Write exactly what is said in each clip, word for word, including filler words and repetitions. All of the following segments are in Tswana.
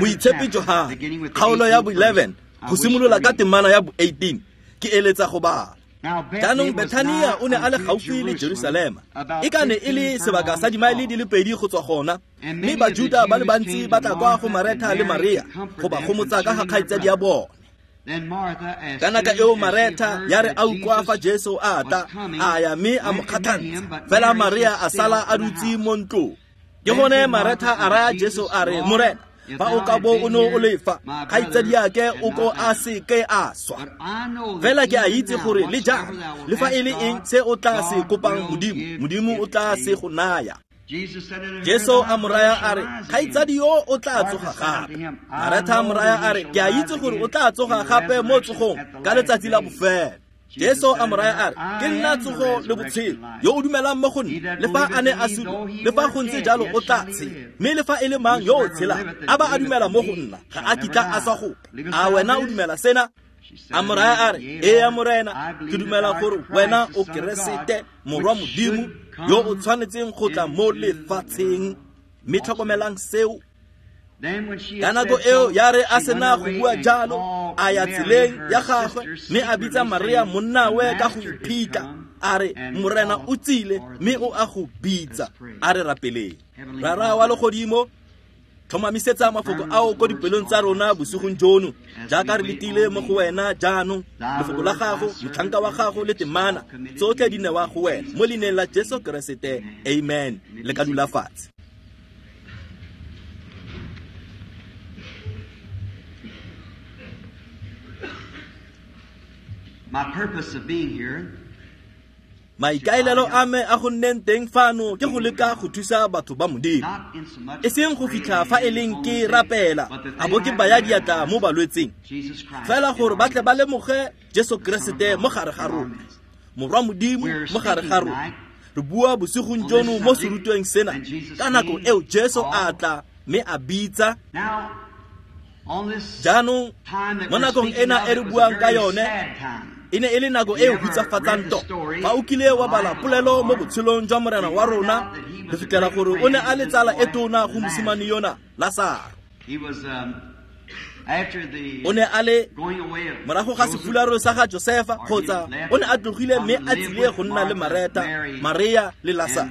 Moitshepi Johane, kgaolo ya bo eleven, go simolola ka temana ya bo eighteen, ke eletsa go bala. Jaanong Bethania o ne a le gaufi le Jerusalema, e ka ne e le sebaka sa dimaele di le pedi go tswa gona, mme Bajuda ba le bantsi ba tla kwa go Maretha le Maria go ba gomotsa ka ga kgaitsadi ya bone. Ka nako eo Maretha ya re a utlwa fa Jesu a tla, a ya mme a mo kgatlhantsha, fela Maria a sala a dutse mo ntlong. Ke gone Maretha a raya Jesu a re, Morena, fa o ka bo o ne o le fa, kgaitsadiake o ko a se ke a swa. Fela ke a itse gore le jang, le fa e le eng se o tla se kopang Modimo, Modimo o tla se go naya. Jesu a mo raya a re, kgaitsadi yo o tla tsoga gape. Maretha a mo raya a re, ke a itse gore o tla tsoga gape mo tsogong ka letsatsi la bofelo. Jesu a mo raya a re, ke nna tsogo le botshelo, yo o dumelang mo go nna, le fa a ne a sule, le fa go ntse jalo o tla tshela. Mme le fa e le mang yo o tshelang, a ba a dumela mo go nna, ga a kitla a swa gope. A wena o dumela sena? A mo raya a re, ee Morena, ke dumela gore wena o Keresete, morwa Modimo, yo o tshwanetseng go tla mo lefatsheng. Mme tlhokomelang seo. Ka nako eo ya re a sena go bua jalo, a ya tseleng ya gagwe, mme a bitsa Maria monnawe ka go iphitlha, a re, Morena o tsile, mme o a go bitsa. A re rapeleng. Rara wa legodimo, tlhomamisetsa mafoko ao ko dipelong tsa rona bosigong jono, jaaka re letile mo go wena jaanong. Lefoko la gago, motlhanka wa gago le temana, tsotlhe di newa go wena mo leineng la Jesu Keresete, amen. Le ka dula fatshe. My purpose of being here, Maikaelelo a me a go nneng teng fano ke go leka go thusa batho ba Modimo, e seng go fitlha fa e leng ke rapela a bo ke baya diatla mo balwetseng, fela gore ba tle ba lemoge Jesu Keresete mo gare ga rona, morwa Modimo mo gare ga rona. Re bua bosigong jono mo serutweng sena ka nako eo Jesu a tla mme a bitsa. Jaanong mo nakong ena e re buang ka yone, e ne e le nako e hutsafatsang tota. Fa o kile wa bala polelo mo botshelong jwa Morena wa rona, re fitlhela gore o ne a le tsala e tona go mosimane yona Lasaro. O ne a le morago ga sefularo sa ga Josefa, kgotsa o ne a tlogile mme a tsile go nna le Maretha, Maria le Lasaro,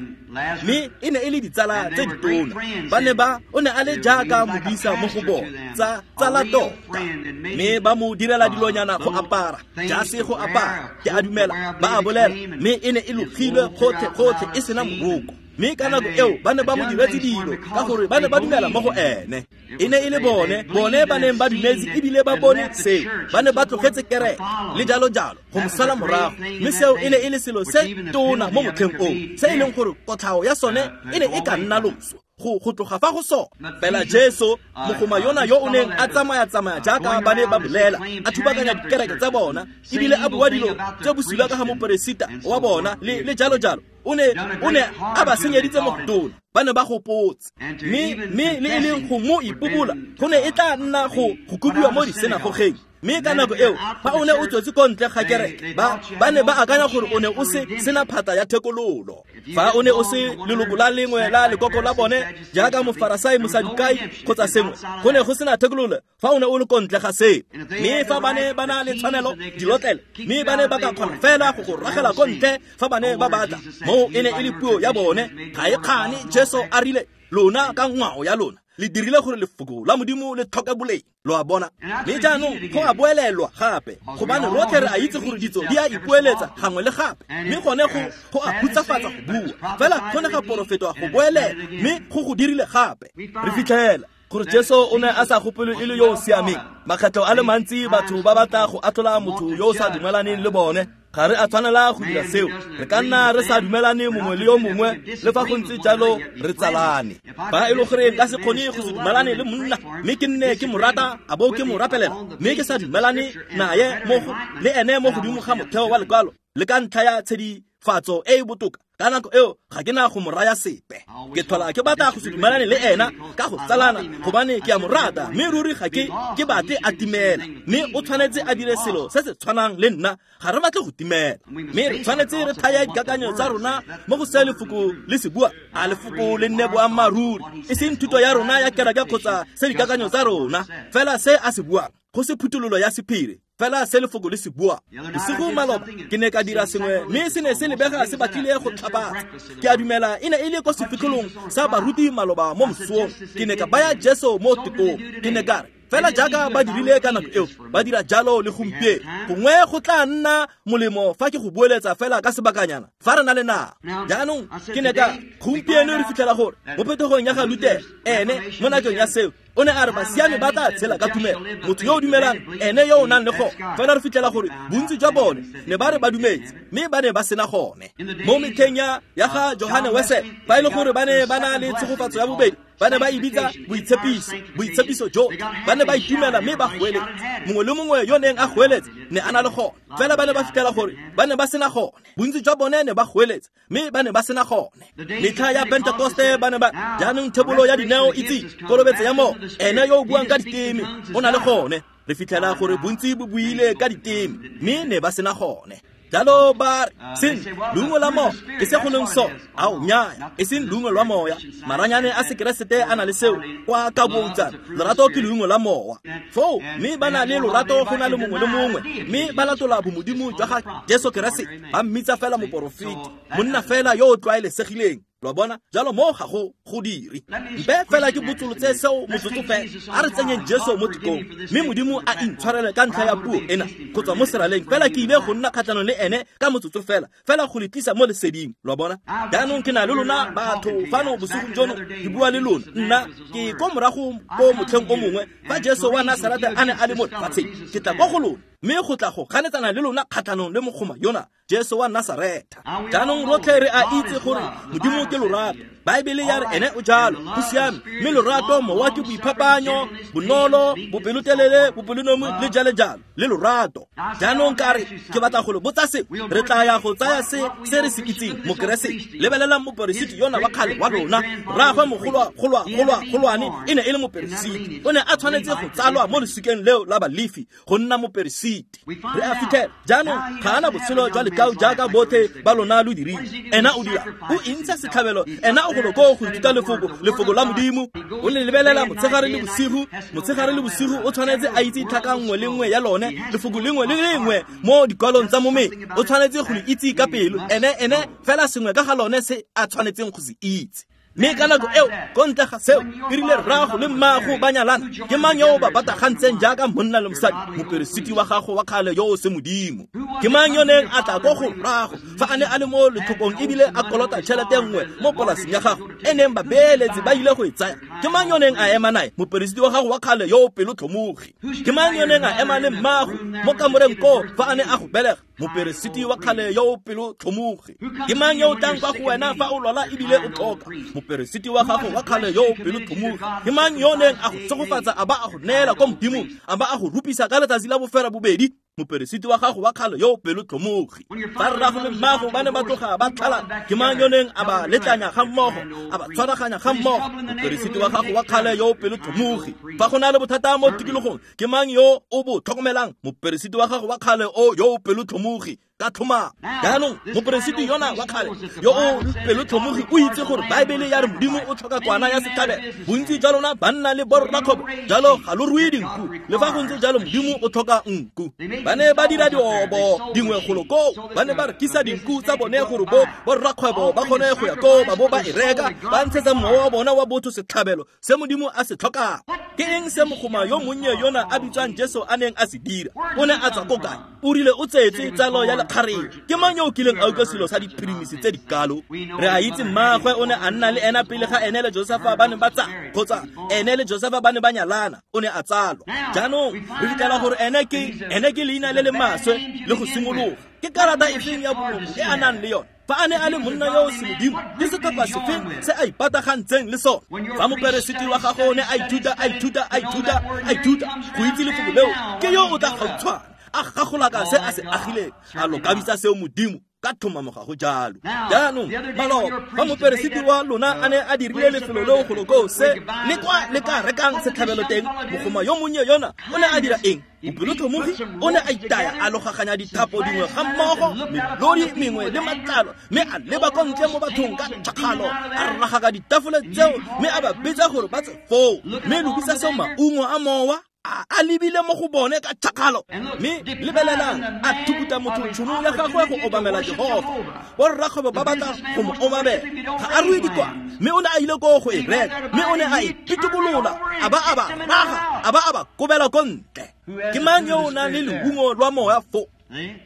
mme e ne e le ditsala tse ditona. Ba ne ba o ne a le jaaka modisa mo go bona, tsa tsala tota, mme ba mo direla dilonyana go apara, jase go apara, ke a dumela ba a bolela, mme e ne e logilwe gotlhe gotlhe e sena moroko. Mme ka nako eo ba ne ba mo diretse dilo ka gore ba ne ba dumela mo go ene. E ne e le bone, bone ba neng ba dumetse ebile ba bone seo, ba ne ba tlogetse kereke le jalo jalo go mo sala morago. Mme seo e ne e le selo se tona mo motlheng oo, se e leng gore kotlhao ya sone e ne e ka nna loso go go tloga fa go sona. Fela Jesu, mogoma yona yo o neng a tsamaya-tsamaya jaaka ba ne ba bolela, a thubakanya dikereke tsa bona, ebile a bua dilo tse bosula ka ga moperesita wa bona le le jalo jalo, o ne o ne a ba senyeditse mo go tona. Ba ne ba gopotse, mme mme le e leng go mo ipobola go ne e tla nna go go kobiwa mo disenagogeng. Mme ka nako eo fa o ne o tswetse ko ntle ga kereke, ba ba ne ba akanya gore o ne o se sena phata ya thekololo. Fa o ne o se leloko la lengwe la lekoko la bone jaaka mofarasai, mosadukai kgotsa sengwe, go ne go sena thekololo fa o ne o le ko ntle ga seo. Mme fa ba ne ba na le tshwanelo dilotlele, mme ba ne ba ka kgona fela go go ragela ko ntle fa ba ne ba batla. Moo e ne e le puo ya bone, ga e kgane. Jesu a rile, lona ka ngwao ya lona le dirile gore lefoko la Modimo le tlhoke boleng. Lo a bona? Mme jaanong go a boelelwa gape, gobane rotlhe re a itse gore ditso di a ipoeletsa gangwe le gape, mme gone go go a hutsafatsa go bua. Fela go ne ga porofetwa go boelela, mme go go dirile gape. Re fitlhela gore Jesu o ne a sa gopolwe e le yo o siameng. Makgetlho a le mantsi batho ba batla go atlhola motho yo o sa dumelaneng le bone. Ga re a tshwanela go dira seo. Re ka nna re sa dumelane mongwe le yo mongwe, le fa go ntse jalo re tsalane. Fa e le gore nka se kgone go se dumelane le monna, mme ke nne ke mo rata a bo ke mo rapelela, mme ke sa dumelane naye mo go le ene mo godimo ga motheo wa lekwalo le ka ntlha ya tshedifatso e e botoka, Ka nako eo ga ke na go mo raya sepe. Ke tlhola ke batla go se dumelane le ena ka go tsalana gobane ke a mo rata, mme ruri ga ke ke batle a timela. Mme o tshwanetse a dire selo se se tshwanang le nna, ga re batle go timela. Mme re tshwanetse re thaya dikakanyo tsa rona mo go se lefoko le se bua. A lefoko le nne boammaaruri, e seng thuto ya rona ya kereke kgotsa se dikakanyo tsa rona, fela se a se buang, go se phuthololo ya sephiri, fela se lefoko le se bua. Bosigo maloba ke ne ka dira sengwe mme se ne se lebega se batlile go tlhapatsa. Ke a dumela e ne e le ko sefitlholong sa baruti maloba mo mosong. Ke ne ka baya Jesu mo tekong. Ke ne ka re, fela jaaka ba dirile ka nako eo, ba dira jalo le gompieno. Gongwe go tla nna molemo fa ke go boeletsa fela ka sebakanyana fa re na le nako. Jaanong ke ne ka gompieno re fitlhela gore mo phetogong ya ga Luther, ene mo nakong ya seo o ne a re basiami ba tla tshela ka tumelo, motho yo o dumelang ene yo o nang le gone. Fela re fitlhela gore bontsi jwa bone ne ba re ba dumetse, mme ba ne ba sena gone. Mo metlheng ya ya ga Johane Wesley, fa e le gore ba ne ba na le tshegofatso ya bobedi, ba ne ba e bitsa boitshepiso, boitshepiso jo. Ba ne ba itumela mme ba goeletsa. Mongwe le mongwe yo neng a goeletsa ne a na le gone. Fela ba ne ba fitlhela gore ba ne ba sena gone. Bontsi jwa bone ne ba goeletsa, mme ba ne ba sena gone. Metlha ya Pentekoste ba ne ba jaanong thebolo ya dineo itse kolobetso ya moya, ene yo o buang ka diteme o na le gone. Re fitlhela gore bontsi bo buile ka diteme, mme ne ba sena gone. Jalo ba re, seng leungo la moya ke se go leng sone. Ao nnyaya, e seng leungo lwa moya. Maranyane a sekeresete a na le seo kwa ka boutsana. Lorato ke leungo la mowa. Foo mme ba na le lorato go na le mongwe le mongwe, mme ba latola bomodimo jwa ga Jesu Keresete. Ba mmitsa fela moporofeti, monna fela yo o tlwaelesegileng. Lo bona, jalo mo ga go go dire. Mpe fela ke botsolotse seo motsotso fela. A re tsenyeng Jesu mo tekong, mme Modimo a intshwarele ka ntlha ya puo ena go tswa mo seraleng. Fela ke ile go nna kgatlhanong le ene ka motsotso fela, fela go le tlisa mo leseding. Lo bona, jaanong ke na le lona batho fano bosigong jono, ke bua le lona. Nna ke ko morago ko motlheng o mongwe fa Jesu wa Nasaretha a ne a le mo lefatsheng. Ke tla ko go lona, mme go tla go ganetsana le lona kgatlhanong le mogoma yona Jesu wa Nasaretha. Jaanong rotlhe re a itse gore Modimo ke lorato. Baebele ya re ene o jalo, go siame. Mme lorato mowa ke boiphapanyo, bonolo, bopelotelele, bopelonomi le jalo jalo, le lorato. Jaanong ka re ke batla go le botsa se, re tla ya go tsaya se se re se itseng mokeresete. Lebelelang moperesiti yona wa kgale wa rona, rraagwe mogolwa golwa golwa golwane e ne e le moperesiti. O ne a tshwanetse go tsalwa mo lesikeng leo la Balefi go nna moperesiti. Re a fitlhela jaanong ga ana botshelo jwa lekau jaaka botlhe ba lona lo dirile. Ena o dira, o intsha setlhabelo, ena o golo ko go ithuta lefoko, lefoko la Modimo. O le lebelela motshegare le bosigo, motshegare le bosigo o tshwanetse a itse tlhaka nngwe le nngwe ya lone, lefoko lengwe le lengwe mo dikwalong tsa momeng. O tshwanetse go le itse ka pelo, ene ene fela sengwe ka ga lone se a tshwanetseng go se itse. Mme ka nako eo, ko ntle ga seo, e rile rraago le mmaago ba nyalana, ke mang yo o ba batagantseng jaaka monna le mosadi? Moperesiti wa gago wa kgale yo o se Modimo. Ke mang yo neng a tla ko go rraago fa a ne a le mo letlhokong ebile a kolota tšhelete nngwe mo polasing ya gago e neng babeeletsi ba ile go e tsaya? Ke mang yo neng a ema nae? Moperesiti wa gago wa kgale yo o pelotlhomogi. Ke mang yo neng a ema le mmaago mo kamoreng koo fa a ne a go belega? Moperesiti wa kgale yo o pelotlhomogi. Ke mang yo o tlang kwa go wena fa o lwala ebile o tlhoka? Moperesiti wa gago wa kgale yo o pelotlhomogi. Ke mang yo neng a go tshegofatsa a ba a go neela kwa Modimong, a ba a go rupisa ka letsatsi la bofela bobedi? Moperesiti wa gago wa kgale yo o pelotlhomogi. Fa rrago le mmago ba ne ba tloga ba tlhalana, ke mang yo neng a ba letlanya ga mmogo, a ba tshwaraganya ga mmogo? Moperesiti wa gago wa kgale yo o pelotlhomogi. Fa go na le bothata mo tikologong, ke mang yo o bo tlhokomelang? Moperesiti wa gago wa kgale o yo o pelotlhomogi. Ka tlhoma. Jaanong moperesiti yona wa kgale yo o pelotlhomogi o itse gore Baebele ya re Modimo o tlhoka kwana ya setlhabelo. Bontsi jwa lona banna le borrakgwebo jalo ga lo rue dinku, le fa go ntse jalo Modimo o tlhoka nku. Ba ne ba dira diobo dingwe golo koo, ba ne ba rekisa dinku tsa bone gore bo borrakgwebo ba kgone go ya koo ba bo ba e reka, ba ntshetsa mowa wa bona wa botho setlhabelo se Modimo a se tlhokang. Ke eng se mogoma yo monnye yona a bitswang Jesu a neng a se dira? O ne a tswa ko kae? O rile o tsetse tsalo ya lekgarebe. Ke mang yo o kileng a utlwa selo sa diphirimisi tse dikalo? Re a itse mmaagwe o ne a nna le ena pele ga ene le Josefa ba ne ba tsa, kgotsa ene le Josefa ba ne ba nyalana, o ne a tsalwa. Jaanong re fitlhela gore ene ke ene ke leina le le maswe le go simologa. Ke karata efeng ya boloko e a nang le yone? Fa a ne a le monna yo o se Modimo, ke setlhopha sefeng se a ipatagantseng le sone? Fa moperesiti wa gago o ne a ithuta, a ithuta, a ithuta, a ithuta go itse lefoko leo, ke yo o tla gautshwane a gagolaka se a se agileng, a lokabisa seo Modimo Ka tlhomamo ga go jalo. Jaanong maloba fa moperesiti wa lona a ne a dirile lefelo leo golo koo se le kwa le ka rekang setlhabelo teng, mogoma yo monnye yona o ne a dira eng? Bopelotlhomogi o ne a itaya a logaganya dithapo dingwe ga mmogo, melodi mengwe le matlalo, mme a leba ko ntle mo bathong ka tšhakgalo, a ragaka ditafole tseo mme a ba bitsa gore ba tswe foo, mme lokisa seo maungo a mowa a lebile mo go bone ka tšhakgalo. Mme lebelelang, a thukuta motho tšhono ya gagwe go obamela Jehofa. Borrakgwebo ba batla go mo obamela, ga a rue dikwana, mme o ne a ile koo go e reka, mme o ne a e pitokolola, a ba a ba raga, a ba a ba kobela ko ntle. Ke mang yo o nang le leungo lwa moya fo?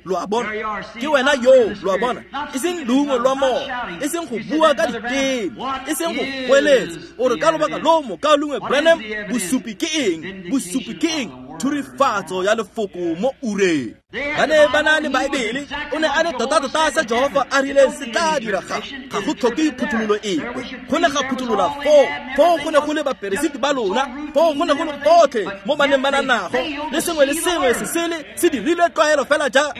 Lo a bona, ke wena yo, lo a bona, e seng leungo lwa moya, e seng go bua ka diteme, e seng go goeletsa. O re ka lobaka lo mokaulengwe Branham, bosupi ke eng? Bosupi ke eng? Thurifatso ya lefoko mo ureng. Ba ne ba na le Baebele, o ne a le tota-tota se Jehofa a rileng se tla diraga. Ga go tlhoke phuthololo epe. Go ne ga phutolola foo, foo go ne go le baperesiti ba lona, foo go ne go le botlhe mo ba neng ba na nago, le sengwe le sengwe se sele se dirilwe tlwaelo fela jalo,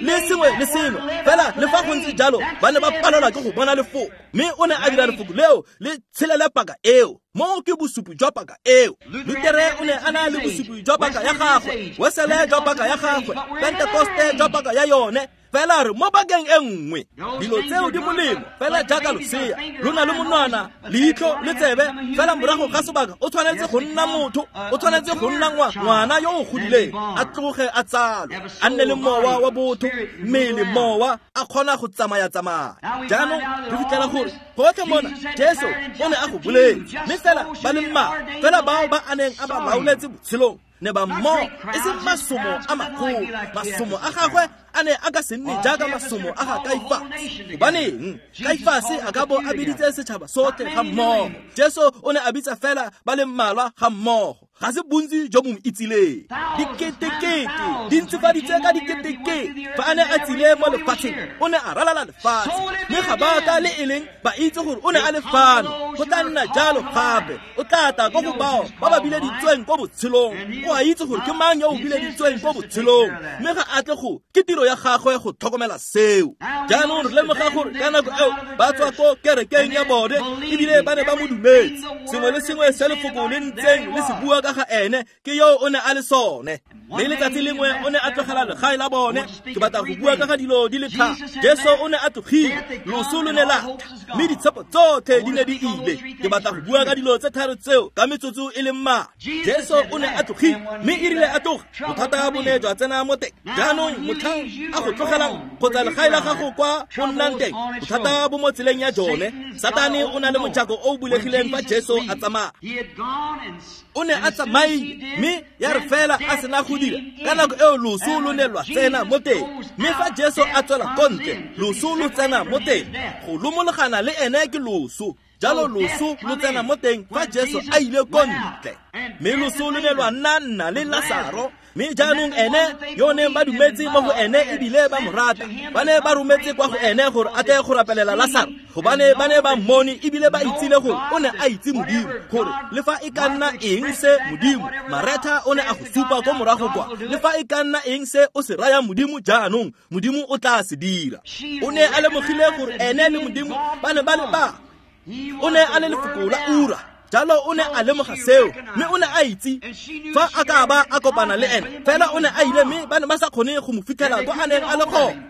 le sengwe le sengwe fela. Le fa go ntse jalo, ba ne ba palelwa ke go bona lefoko, mme o ne a dira lefoko leo le tshelele paka eo. Mo ke bosupi jwa paka eo. Lutere o ne a na le bosupi jwa paka ya gagwe, Wesele jwa paka ya gagwe, Pentekoste jwa paka ya yone. Fela re mo pakeng e nngwe, dilo tseo di molemo fela jaaka losea lo na le monwana, leitlho le tsebe. Fela morago ga sebaka o tshwanetse go nna motho, o tshwanetse go nna ngwana yo o godileng, a tloge a tsalwe, a nne le mowa wa botho, mmele mowa, a kgona go tsamaya-tsamaya. Jaanong re fitlhela gore gotlhe mona Jesu o ne a go boletse, mme fela ba le mmalwa fela bao ba a neng a ba laoletse botshelong ne ba mmogo, e seng masomo a magolo. Masomo a gagwe a ne a ka se nne jaaka masomo a ga Kaifase. Gobaneng Kaifase a ka bo a biditse setšhaba sotlhe ga mmogo? Jesu o ne a bitsa fela ba le mmalwa ga mmogo. Ga se bontsi jo bo mo itsileng. Diketekete di ntsifaditswe ka diketekete. Fa a ne a tsile mo lefatsheng, o ne a ralala lefatshe, mme ga ba ka le e leng ba itse gore o ne a le fano. Go tla nna jalo gape, o tla tla ko go bao ba ba bileditsweng ko botshelong. O a itse gore ke mang yo o bileditsweng ko botshelong, mme ga a tle go ke tiro ya gagwe go tlhokomela seo. Jaanong re lemoga gore ka nako eo ba tswa ko kerekeng ya bone, ebile ba ne ba mo dumetse. Sengwe le sengwe se lefoko le ntseng le se bua ka ga ene, ke yo o ne a le sone. Mme letsatsi lengwe o ne a tlogela legae la bone. Ke batla go bua ka ga dilo di le tharo. Jesu o ne a tlogile, loso lo ne la tla, mme ditshepo tsotlhe di ne di ile. Ke batla go bua ka dilo tse tharo tseo ka metsotso e le mmalwa. Jesu o ne a tlogile, mme e rile a tloga, bothata bo ne jwa tsena mo teng. Jaanong motlhang a go tlogelang kgotsa legae la gago kwa o nnang teng, bothata bo mo tseleng ya jone. Satane o na le mojako o o bulegileng fa Jesu a tsamaya. O ne a tsamaile, mme ya re fela a sena go dira, ka nako eo loso lo ne lwa tsena mo teng. Mme fa Jesu a tswela ko ntle, loso lo tsena mo teng. Go lomologana le ene ke loso. Jalo loso lo tsena mo teng fa Jesu a ile ko ntle. Mme loso lo ne lwa nna nna le Lasaro. Mme jaanong ene yo neng ba dumetse mo go ene ebile ba mo rata, ba ne ba rometse kwa go ene gore a tle go rapelela Lasaro, gobane ba ne ba mmone ebile ba itsile gore o ne a itse Modimo, gore le fa e ka nna eng se Modimo, Maretha o ne a go supa ko morago kwa, le fa e ka nna eng se o se rayang Modimo jaanong, Modimo o tla se dira. O ne a lemogile gore ene le Modimo ba ne ba le ba. O ne a le lefoko la ura. Jalo o ne a lemoga seo, mme o ne a itse fa a ka ba a kopana le ene. Fela o ne a ile, mme ba ne ba sa kgone go mo fitlhela kwa a neng a le gone.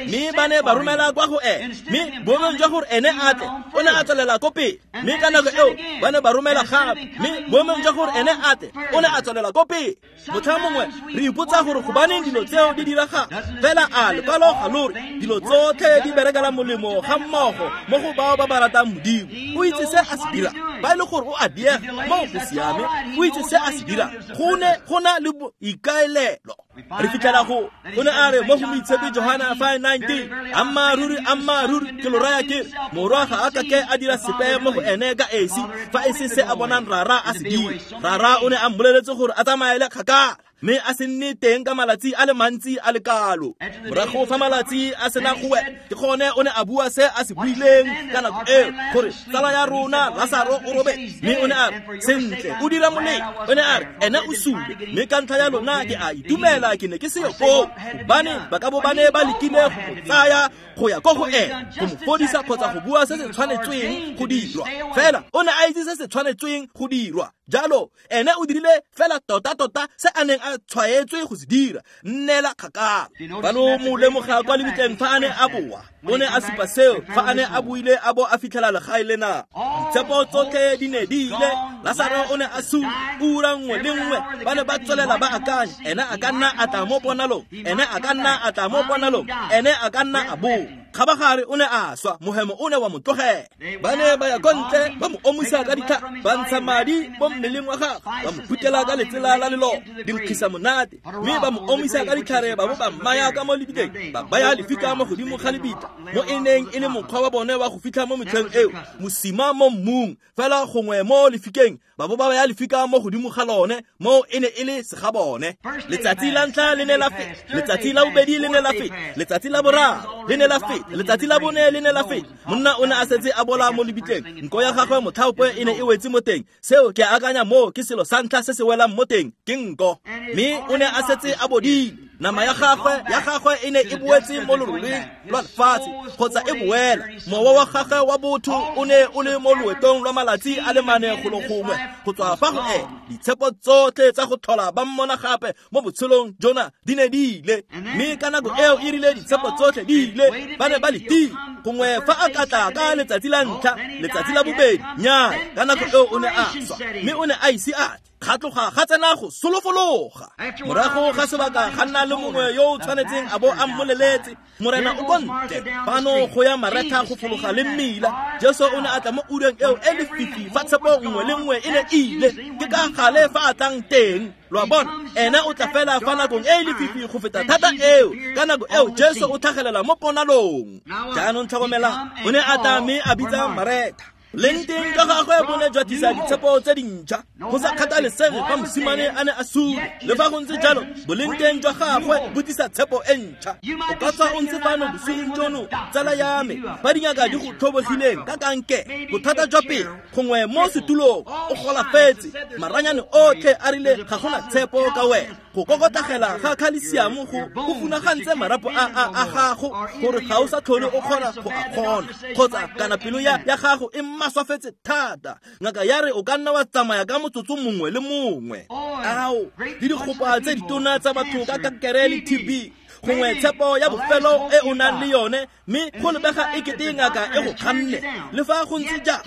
Mme ba ne ba romela kwa go ene, mme boemong jwa gore ene a tle, o ne a tswelela ko pele. Mme ka nako eo ba ne ba romela gape, mme boemong jwa gore ene a tle, o ne a tswelela ko pele. Motlha mongwe re ipotsa gore gobaneng dilo tseo di diragala. Fela a lekwalo ga lo re dilo tsotlhe di berekela molemo ga mmogo mo go bao ba ba ratang Modimo. O itse se a se dirang. Ba e le gore o a diega mo go siame, o itse se a se dirang. Go ne go na le boikaelelo. Re fitlhela go o ne a re mo go Moitshepi Johana five nineteen, ammaaruri ammaaruri ke lo raya ke re, morwa ga a ka ke a dira sepe mo go ene ka esi, fa e se se a bonang Rara a se dira. Rara o ne a mmoleletse gore a tsamaele kgakala. Mme a se nne teng ka malatsi a le mantsi a le kalo. Morago fa malatsi a sena go wela, ke gone o ne a bua se a se buileng ka nako eo, gore tsala ya rona Lasaro o robetse. Mme o ne a re, sentle, o dira molemo. O ne a re, ene o sule, mme ka ntlha ya lona ke a itumela ke ne ke seyo koo, gobane ba ka bo ba ne ba lekile go mo tsaya go ya ko go ene, go mo fodisa kgotsa go bua se se tshwanetsweng go dirwa. Fela o ne a itse se se tshwanetsweng go dirwa. Jalo ene o dirile fela tota-tota se a neng a tshwaetswe go se dira, nnela kgakala. Ba lo mo lemoga kwa lebitleng fa a ne a boa, o ne a supa seo fa a ne a buile a bo a fitlhela legae lena. Ditshepo tsotlhe di ne di ile, Lasaro o ne a sule. Ura nngwe le nngwe ba ne ba tswelela ba akanya, ene a ka nna a tla mo ponalong, ene a ka nna a tla mo ponalong, ene a ka nna a boa. Kgabagare o ne a swa, mohemo o ne wa mo tlogela. Ba ne ba ya ko ntle, ba mo omisa ka ditlhare, ba ntsha madi mo mmeleng wa gagwe, ba mo phutela ka letsela la leloko, di nkgisa monate, mme ba mo omisa ka ditlhare, ba bo ba mmaya ka mo lebitleng, ba baya lefika mo godimo ga lebitla, mo e neng e le mokgwa wa bone wa go fitlha mo metlheng eo, mosima mo mmung, fela gongwe mo lefikeng, ba bo ba baya lefika mo godimo ga lone, mo e ne e le segabone. Letsatsi la ntlha le ne la feta, letsatsi la bobedi le ne la feta, letsatsi la boraro le ne la feta, letsatsi la bone le ne la feta. Monna o ne a setse a bola mo lebitleng, nko ya gagwe motlhaope e ne e wetse mo teng. Seo ke akanya moo ke selo sa ntlha se se welang mo teng, ke nko. Mme o ne a setse a bodile. Nama ya gagwe ya gagwe e ne e boetse mo loroleng lwa lefatshe, kgotsa e boela. Mowa wa gagwe wa botho o ne o le mo loetong lwa malatsi a le mane golo gongwe go tswa fa go ene. Ditshepo tsotlhe tsa go tlhola ba mmona gape mo botshelong jona di ne di ile. Mme ka nako eo e rile ditshepo tsotlhe di ile, ba ne ba letile gongwe fa a ka tla ka letsatsi la ntlha, letsatsi la bobedi, nnyaa, ka nako eo o ne a swa, mme o ne a ise a tle. Ga tloga ga tsena go solofologa. Morago ga sebaka ga nna le mongwe yo o tshwanetseng a bo a mmoleletse, Morena o ko ntle fano go ya Maretha go fologa le mmila. Jesu o ne a tla mo ureng eo e lefifi fa tshepo nngwe le nngwe e ne e ile. Ke ka gale fa a tlang teng. Lo a bona, ene o tla fela fa nakong e e lefifi go feta thata eo. Ka nako eo Jesu o tlhagelela mo ponalong. Jaanong tlhokomelang, o ne a tla mme a bitsa Maretha. Leng teng ka gagwe bo ne jwa tlisa ditshepo tse dintšha, go sa kgathalesege fa mosimane a ne a sule. Le fa go ntse jalo, boleng teng jwa gagwe bo tlisa tshepo e ntšha. O ka tswa o ntse fano bosigong jono, tsala ya me, fa dingaka di go tlhobogileng ka kankere, bothata jwa pelo, gongwe mo setulong o golafetse, maranyane otlhe a rile ga gona tshepo ka wena. Go kokotagela ga khalesiamo go go funagantse marapo a a a gago gore ga o sa tlhole o kgona go a kgona, kgotsa kana pelo ya ya gago e maswafetse thata. Ngaka ya re o ka nna wa tsamaya ka motsotso mongwe le mongwe. Ao, le dikgopa tse ditona tsa batho ka kankere le T B, gongwe tshepo ya bofelo e o nang le yone, mme go lebega e kete ngaka e go kganne. Le fa go ntse jalo,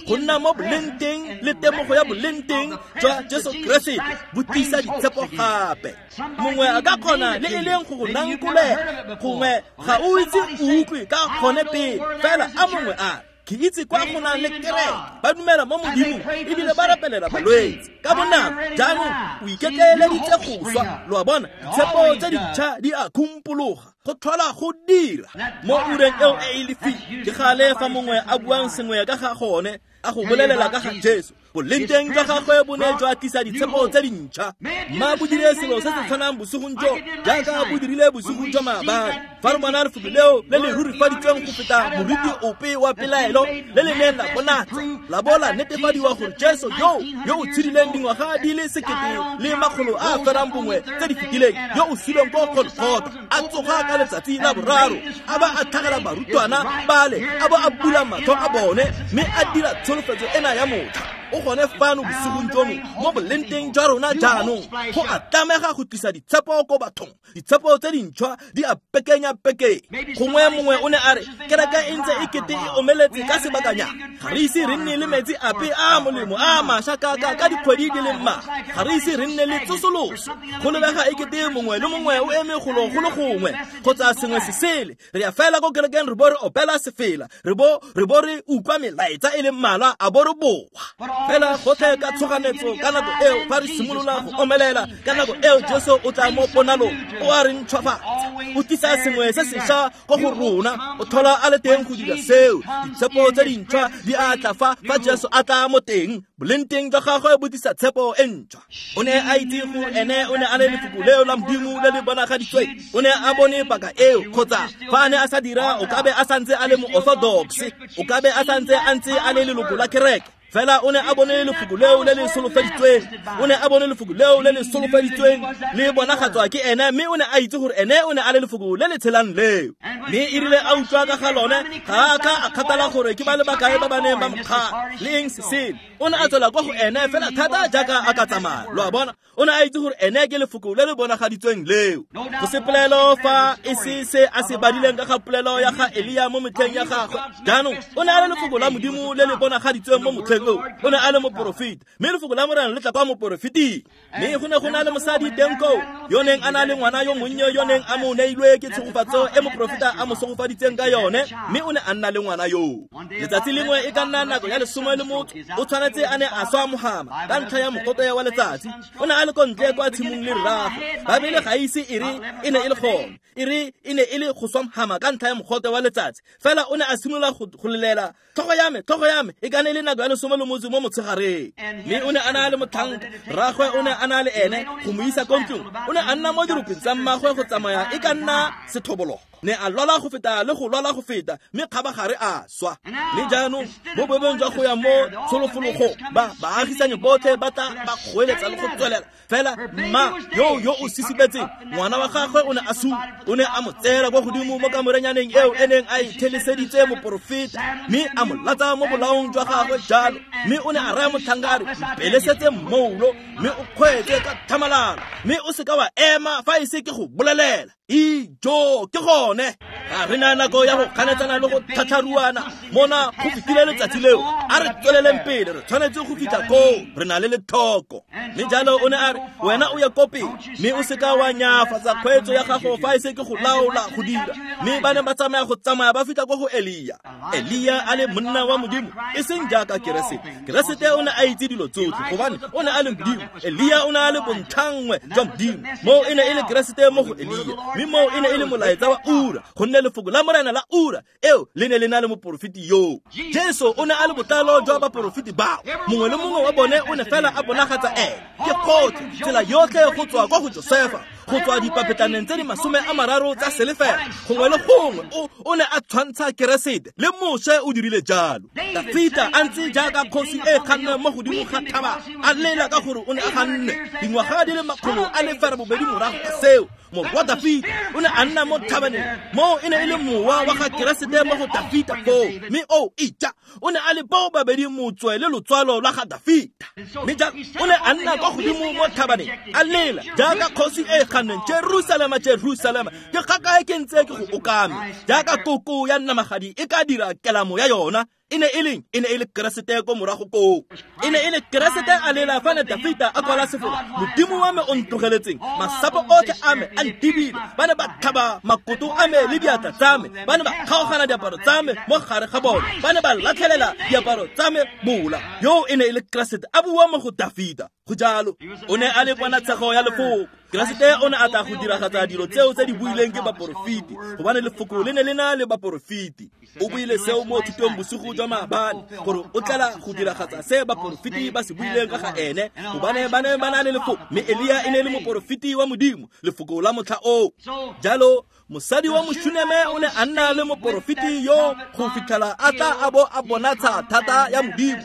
go nna mo boleng teng le temogo ya boleng teng jwa Jesu Keresete bo tlisa ditshepo gape. Mongwe a ka kgona le e leng go go nankolela, gongwe ga o itse o utlwe ka gone pele, fela a mongwe a ke itse kwa go nang le kereke, ba dumela mo Modimong ebile ba rapelela balwetse ka bonako. Jaanong o iketleeleditse go swa. Lo a bona, ditshepo tse dintšha di a khumpologa, go tlhola go dira mo ureng eo e e lefifi. Ke gale fa mongwe a buang sengwe ka ga gone, a go bolelela ka ga Jesu, boleng teng jwa gagwe bo ne jwa tlisa ditshepo tse dintšha. Mma bo dire selo se se tshwanang bosigong jo jaaka bo dirile bosigong jwa maabane, fa re bona lefoko leo le le rurifaditsweng go feta moriti ope wa pelaelo le le neng la bonatsa, la bo la netefadiwa gore Jesu yo yo o tshedileng dingwaga di le sekete le makgolo a a ferang bongwe tse di fetileng, yo o suleng ko Golgotha, a tsoga ka letsatsi la boraro, a ba a tlhagela barutwana bale, a bo a bula matlho a bone, mme a dira tsholofetso ena ya motlha. O gone fano bosigong jono mo boleng teng jwa rona jaanong, go a tlamega go tlisa ditshepo ko bathong. Ditshepo tse dintšhwa di a pekenya pekeng. Gongwe mongwe o ne a re kereke e ntse e kete e omeletse ka sebakanyana, ga re ise re nne le metsi ape a molemo a mašwa ka ka ka dikgwedi di le mmalwa, ga re ise re nne le tsosoloso. Go lebega e kete mongwe le mongwe o eme golo go le gongwe kgotsa sengwe se sele. Re ya fela ko kerekeng re bo re opela sefela, re bo re bo re utlwa melaetsa e le mmalwa, a bo re boa. Fela gotlhe ka tshoganetso ka nako eo fa re simolola go omelela, ka nako eo Jesu o tla mo ponalong, o a re ntšhwafatsa, o tlisa sengwe se sešwa ko go rona, o tlhola a le teng go dira seo. Ditshepo tse dintšhwa di a tla fa fa Jesu a tla mo teng, boleng teng jwa gagwe bo tlisa tshepo e ntšhwa. O ne a itse gore ene o ne a le lefoko leo la Modimo le le bonagaditsweng. O ne a bone paka eo, kgotsa fa a ne a sa dira o ka be a santse a le mo-orthodox, o ka be a santse a ntse a le leloko la kereke. Fela o ne a bone lefoko leo le le solofeditsweng, o ne a bone lefoko leo le le solofeditsweng le bonagatswa ke ene, mme o ne a itse gore ene o ne a le lefoko le le tshelang leo. Mme e rile a utlwa ka ga lone, ga a ka a kgathala gore ke ba le bakae ba ba neng ba mo kgala le eng se sele. O ne a tswela kwa go ene fela thata jaaka a ka tsamaya. Lo a bona, o ne a itse gore ene ke lefoko le le bonagaditsweng leo. Go se polelo fa e se se a se badileng ka ga polelo ya ga Elia mo metlheng ya gagwe. Jaanong o ne a le lefoko la Modimo le le bonagaditsweng mo motlheng oo. O ne a le moporofeta, mme lefoko la Morena le tla kwa moporofeting. Mme go ne go na le mosadi teng koo yo neng a na le ngwana yo monnye yo neng a mo neilwe ke tshegofatso e moporofeta a mo segofaditseng ka yone, mme o ne a nna le ngwana yoo. Letsatsi lengwe e ka nna nako ya lesome le motho, o tshwanetse a ne a swa mogama ka ntlha ya mogote wa letsatsi. O ne a le ko ntle kwa tshimong le rraagwe. Baebele ga ise e re e ne e le gone, e re e ne e le go swa mogama ka ntlha ya mogote wa letsatsi. Fela o ne a simolola go lelela, tlhogo ya me, tlhogo ya me, e ka ne e le nako ya lesome le motso mo motshegareng. Mme o ne a na le motlhanka, rraagwe o ne a na le ene go mo isa ko ntlong. O ne a nna mo diropeng tsa mmagwe go tsamaya e ka nna sethoboloko. Ne a lwala go feta le go lwala go feta, mme kgabagare a swa. Mme jaanong mo boemong jwa go ya mo tsholofologong, ba baagisani botlhe ba tla ba kgoeletsa le go tswelela. Fela mma yo yo o sisibetseng, ngwana wa gagwe o ne a sule, o ne a mo tseela kwa godimo mo kamorenyaneng eo e neng a itheleseditse moporofeta, mme a mo latsa mo bolaong jwa gagwe jalo. Mme o ne a raya motlhanka a re, mpelesetse mmoulo, mme o kgweetse ka tlhamalalo, mme o seka wa ema fa e se ke go bolelela. Ijo, ke gone. Ga re na nako ya go kganetsana le go tlhatlharuana mona go fetile letsatsi leo. A re tsweleleng pele, re tshwanetse go fitlha koo, re na le lethoko. Mme jalo o ne a re, wena o ye ko pele, mme o seka wa nyafatsa kgweetso ya gago fa e se ke go laola go dira. Mme ba ne ba tsamaya go tsamaya ba fitlha ko go Elia. Elia a le monna wa Modimo, e seng jaaka Keresete. Keresete o ne a itse dilo tsotlhe gobane o ne a le Modimo. Elia o ne a le bontlhanngwe jwa Modimo. Moo e ne e le Keresete mo go Elia, mme moo e ne e le molaetsa wa ura, gonne lefoko la Morena la ura eo le ne le na le moporofeti yoo. Jesu o ne a le botlalo jwa baporofeti bao. Mongwe le mongwe wa bone o ne fela a bonagatsa ene. Ke gotlhe, tsela yotlhe go tswa kwa go Josefa, go tswa dipapetlaneng tse di masome a mararo tsa selefela, gongwe le gongwe o o ne a tshwantsha Keresete. Le Moshe o dirile jalo. Dafita a ntse jaaka kgosi e kganneng mo godimo ga thaba, a lela ka gore o ne a ganne dingwaga di le makgolo a le ferabobedi morago ga seo. Morwa Dafita o ne a nna mo thabaneng, moo e ne e le mowa wa ga Keresete mo go Dafita foo. Mme o ija, o ne a le bao babedi motswe le lotswalo lwa ga Dafita. Mme jalo o ne a nna kwa godimo mo thabaneng, a lela jaaka kgosi e kganneng, Jerusalema, Jerusalema, ke kgakae ke ntse ke go okame jaaka koko ya namagadi e ka dira kelamo ya yona. E ne e leng? E ne e le Keresete ko morago koo. E ne e le Keresete a lela fa ne Dafita a kwala sefola, Modimo wa me o ntlogeletseng, masapo otlhe a me a ntibile. Ba ne ba tlhaba makoto a me le diatla tsa me, ba ne ba kgaogana diaparo tsa me mo gare ga bone, ba ne ba latlhelela diaparo tsa me mola. Yo e ne e le Keresete a bua mo go Dafita. Go jalo, o ne a le ponatshego ya lefoko. Keresete o ne a tla go diragatsa dilo tseo tse di buileng ke baporofeti, gobane lefoko le ne le na le baporofeti. O buile seo mo thutong bosigo jwa maabane, gore o tlela go diragatsa se baporofeti ba se buileng ka ga ene, gobane ba ne ba na le lefoko. Mme Elia e ne e le moporofeti wa Modimo, lefoko la motlha oo. Jalo mosadi wa Moshuneme o ne a nna le moporofeti yo go fitlhela a tla a bo a bonatsha thata ya Modimo,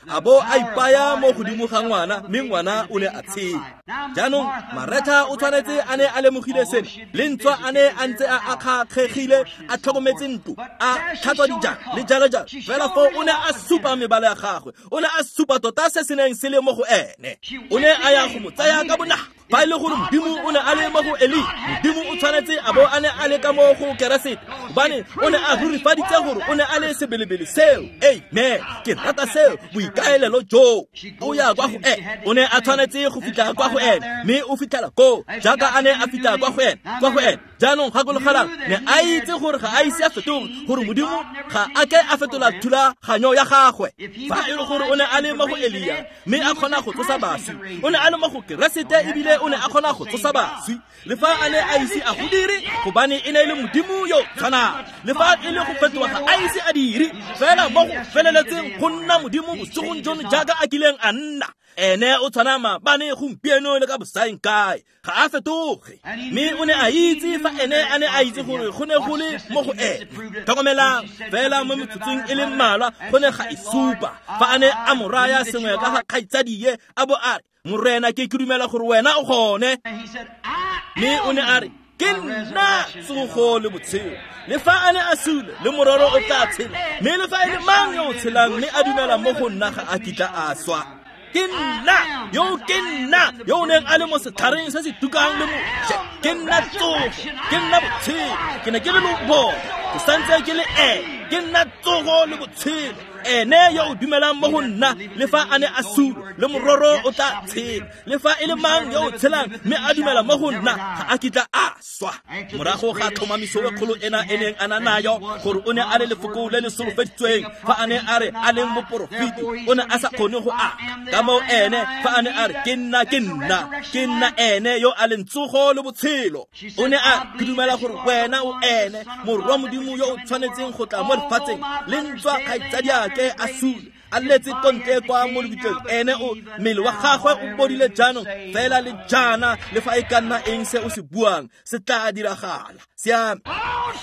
a bo a ipaya mo godimo ga ngwana, mme ngwana o ne a tshela. Jaanong Maretha o tshwanetse a ne a lemogile sena, le ntswa a ne a ntse a akgakgegile, a tlhokometse ntlo, a tlhatswa dijana le jalo jalo. Fela foo o ne a supa mebala ya gagwe, o ne a supa tota se se neng se le mo go ene. O ne a ya go mo tsaya ka bonako. Fa e le gore Modimo o ne a le mo go Eli, Modimo o tshwanetse a bo a ne a le ka mo go Keresete, gobane o ne a rurifaditse gore o ne a le sebelebele seo. Amen. Ke rata seo, boikaelelo joo. O ya kwa go ene, o ne a tshwanetse go fitlha kwa go ene, mme o fitlhela koo jaaka a ne a fitlha kwa go ene, kwa go ene. Jaanong gakologelang ne a itse gore ga a ise a fetoge, gore Modimo ga a ke a fetola thulaganyo ya gagwe. Fa e le gore o ne a le mo go Elia mme a kgona go tsosa baswi, o ne a le mo go Keresete ebile o ne a kgona go tsosa baswi. Le fa a ne a ise a go dire, gobane e ne e le Modimo yo tshwanang. Le fa e le go fetoga ga a ise a dire, fela mo go feleletseng go nna Modimo bosigong jono jaaka a kileng a nna. Ene o tshwana maabane, gompieno le ka bosaeng kae, ga a fetoge. Mme o ne a itse fa ene a ne a itse gore go ne go le mo go ene. Tlhokomelang fela mo metsotsong e le mmalwa go ne ga e supa fa a ne a mo raya sengwe ka ga kgaitsadie, a bo a re, Morena, ke ke dumela gore wena o gone. Mme o ne a re, ke nna tsogo le botshelo. Le fa a ne a sule, le mororo o tla tshela. Mme le fa e le mang yo o tshelang mme a dumela mo go nna ga a kitla a swa. Ke nna yo, ke nna yo o neng a le mo setlhareng se se tukang le Moshe. Ke nna tsogo, ke nna botshelo. Ke ne ke le lobone, ke santse ke le ene. Ke nna tsogo le botshelo. Ene yo o dumelang mo go nna, le fa a ne a sule, le mororo o tla tshela. Le fa e le mang yo o tshelang mme a dumela mo go nna ga a kitla a swa. Morago ga tlhomamiso e kgolo ena e neng a na nayo gore o ne a le lefoko le le solofeditsweng, fa a ne a re a leng moporofeti, o ne a sa kgone go aka. Ka moo ene fa a ne a re ke nna, ke nna, ke nna ene yo a leng tsogo le botshelo. O ne a ke dumela gore wena o ene morwa Modimo yo o tshwanetseng go tla mo lefatsheng, le ntswa kgaitsadiake a sule, a letse kontle kwa mo lebitleng. Ene o mmele wa gagwe o bodile jaanong fela le jaana, le fa e ka nna eng se o se buang se tla diragala. Siame.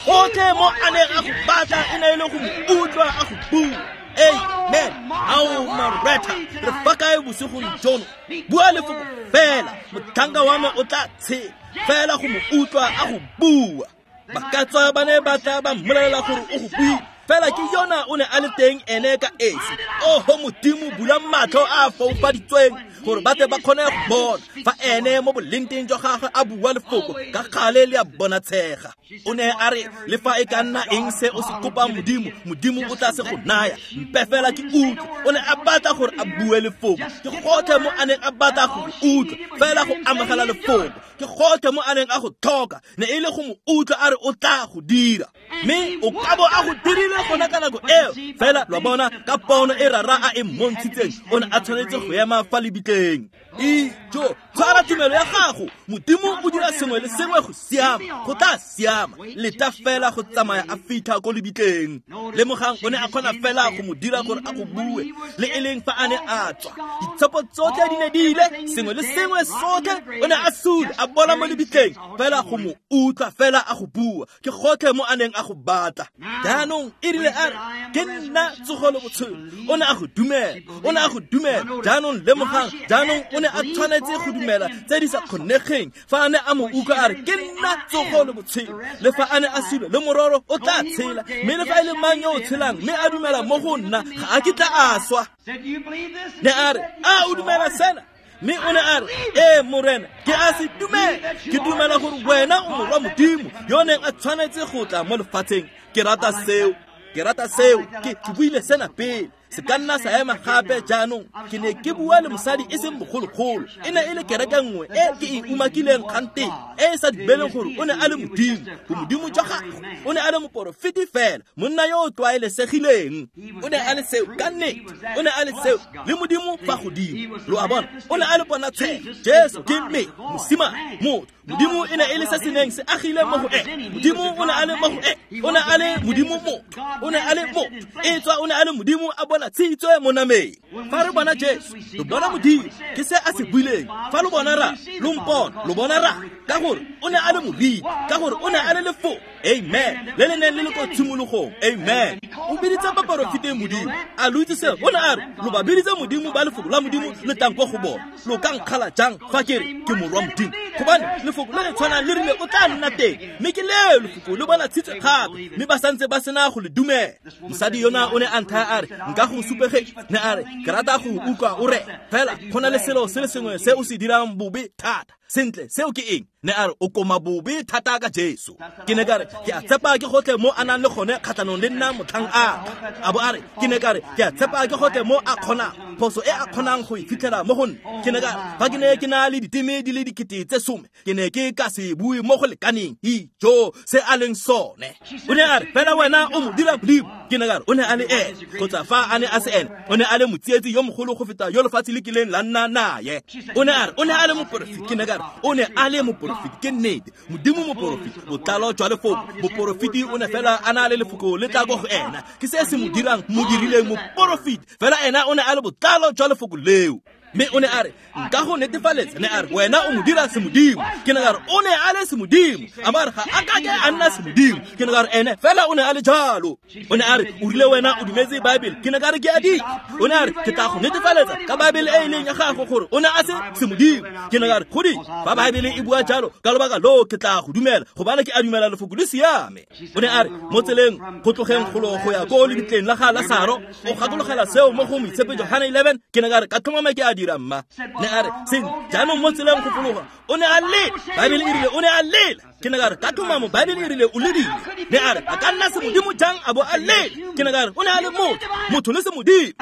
Gotlhe mo a neng a go batla e ne e le go mo utlwa a go bua. Amen. Ao Mareta, re fa kae bosigong jono? Bua lefoko fela, motlhanka wa me o tla tshela. Fela go mo utlwa a go bua. Ba ka tswa ba ne ba tla ba mmolelela gore o go buile, fela ke yona o ne a le teng ene ka esi. Oho Modimo, bula matlho a a foufaditsweng gore ba tle ba kgone go bona fa ene mo bolengteng jwa gagwe a bua lefoko ka gale le a bonatshega. O ne a re, le fa e ka nna eng se o se kopang Modimo, Modimo o tla se go naya. Mpe fela ke utlwe. O ne a batla gore a bue lefoko. Ke gotlhe mo a neng a batla go utlwa, fela go amogela lefoko. Ke gotlhe mo a neng a go tlhoka, ne e le go mo utlwa a re o tla go dira. Mme o ka bo a go dirile gona ka nako eo. Fela lwa bona ka pono e rara a e mmontshitseng, o ne a tshwanetse go ema fa lebitleng. Ijo, tshwara tumelo ya gago. Modimo o dira sengwe le sengwe go siama, go tla siama. Leta fela go tsamaya a fitlha ko lebitleng. Lemogang o ne a kgona fela go mo dira gore a go bue, le e leng fa a ne a tswa. Ditshepo tsotlhe di ne di ile, sengwe le sengwe sotlhe o ne a sule, a bola mo lebitleng. Fela go mo utlwa fela a go bua, ke gotlhe mo a neng a go batla. Jaanong e rile a re, ke nna tsogo le botshelo. O ne a go dumela, o ne a go dumela. Jaanong lemogang, jaanong o ne a tshwanetse go dumela tse di sa kgonegeng. Fa a ne a mo utlwa a re, ke nna tsogo le botshelo, le fa a ne a sule, le mororo o tla tshela. Mme le fa e le mang yo o tshelang mme a dumela mo go nna ga a kitla a swa. Ne a re, a o dumela sena? Mme o ne a re, ee Morena, ke a se dumela. Ke dumela gore wena o morwa Modimo yo neng a tshwanetse go tla mo lefatsheng. Ke rata seo, ke rata seo. Ke ke buile sena pele, se ka nna sa ema gape jaanong. Ke ne ke bua le mosadi e seng bogologolo, e ne e le kereke nngwe e ke e umakileng kganteng, e e sa dumeleng gore o ne a le Modimo, bomodimo jwa gagwe. O ne a le moporofeti fela, monna yo o tlwaelesegileng. O ne a le seo ka nnete, o ne a le seo le Modimo fa godimo. Lo a bona, o ne a le ponatshego. Jesu ke mme mosimane, motho. Modimo e ne e le se se neng se agile mo go ene. Modimo o ne a le mo go ene. O ne a le Modimo motho, o ne a le motho. E tswa o ne a le Modimo a bona tshitswe mo nameng. Fa re bona Jesu, re bona Modimo. Ke se a se buileng. Fa lo bona ra, lo mpona, lo bona ra. Ka gore o ne a le moriti, ka gore o ne a le lefoko. Amen. Le le neng le le ko tshimologong. Amen. O biditse baporofeti Modimo. A lo itse seo? O ne a re, lo ba biditse Modimo ba lefoko la Modimo le tlang kwa go bona. Lo ka nkgala jang fa ke re ke morwa Modimo? Gobane lefoko le le tshwanang le rile o tla nna teng. Mme ke leo lefoko le bona tshitswe gape, mme ba santse ba sena go le dumela. Mosadi yona o ne a nthaya a re, nka go supegetsa. Ne a re, ke rata go utlwa o re, fela go na le selo se le sengwe se o se dirang bobe thata. Sentle, seo ke eng? Ne a re o koma bobe thata ka Jesu. Ke ne ka re ke a tshepa ke gotlhe mo a nang le gone kgatlhanong le nna motlhang a tla. A bo a re ke ne ka re ke a tshepa ke gotlhe mo a kgonang phoso e a kgonang go e fitlhela mo go nna. Ke ne ka re fa ke ne ke na le diteme di le dikete tse some ke ne ke ka se bue mo go lekaneng ijo se a leng sone. O ne a re fela wena o mo dira modimo. Ke ne ka re o ne a le ene kgotsa fa a ne a se ene o ne a le motsietsi yo mogolo go feta yo lefatshe le kileng la nna naye. O ne a re o ne a le moporofeti. Ke ne ka re o ne a le moporofeti ke nnete modimo moporofeti botlalo jwa lefoko. Moporofeti o ne fela a na le lefoko le tla ko go ena ke se se mo dirang mo dirileng moporofeti fela ena o ne a le botlalo jwa lefoko leo. Mme o ne a re nka go netefaletsa ne a re wena o mo dira semodimo. Ke ne ka re o ne a le semodimo. A ba re ga a kake a nna semodimo. Ke ne ka re ene fela o ne a le jalo. O ne a re o rile wena o dumetse Bible. Ke ne ka re ke a di. O ne a re ke tla go netefaletsa ka Bible e e leng ya gago gore o ne a se semodimo. Ke ne ka re godi fa Bible e bua jalo ka lobaka loo ke tla go dumela gobane ke a dumela lefoko le siame. O ne a re mo tseleng go tlogeng golo go ya ko lebitleng la ga Lasaro o gakologela seo mo go Moitshepe Johane eleven. Ke ne ka re ka tlhomama ke a dira mma. Ne a re seng jaanong mo tseleng go fologa o ne a lela. Bible e rile o ne a lela. Ke ne ka re ka tlhomamo Bible e rile o ledile. Ne a re a ka nna semodimo jang a bo a lela. Ke ne ka re o ne a le motho motho le semodimo.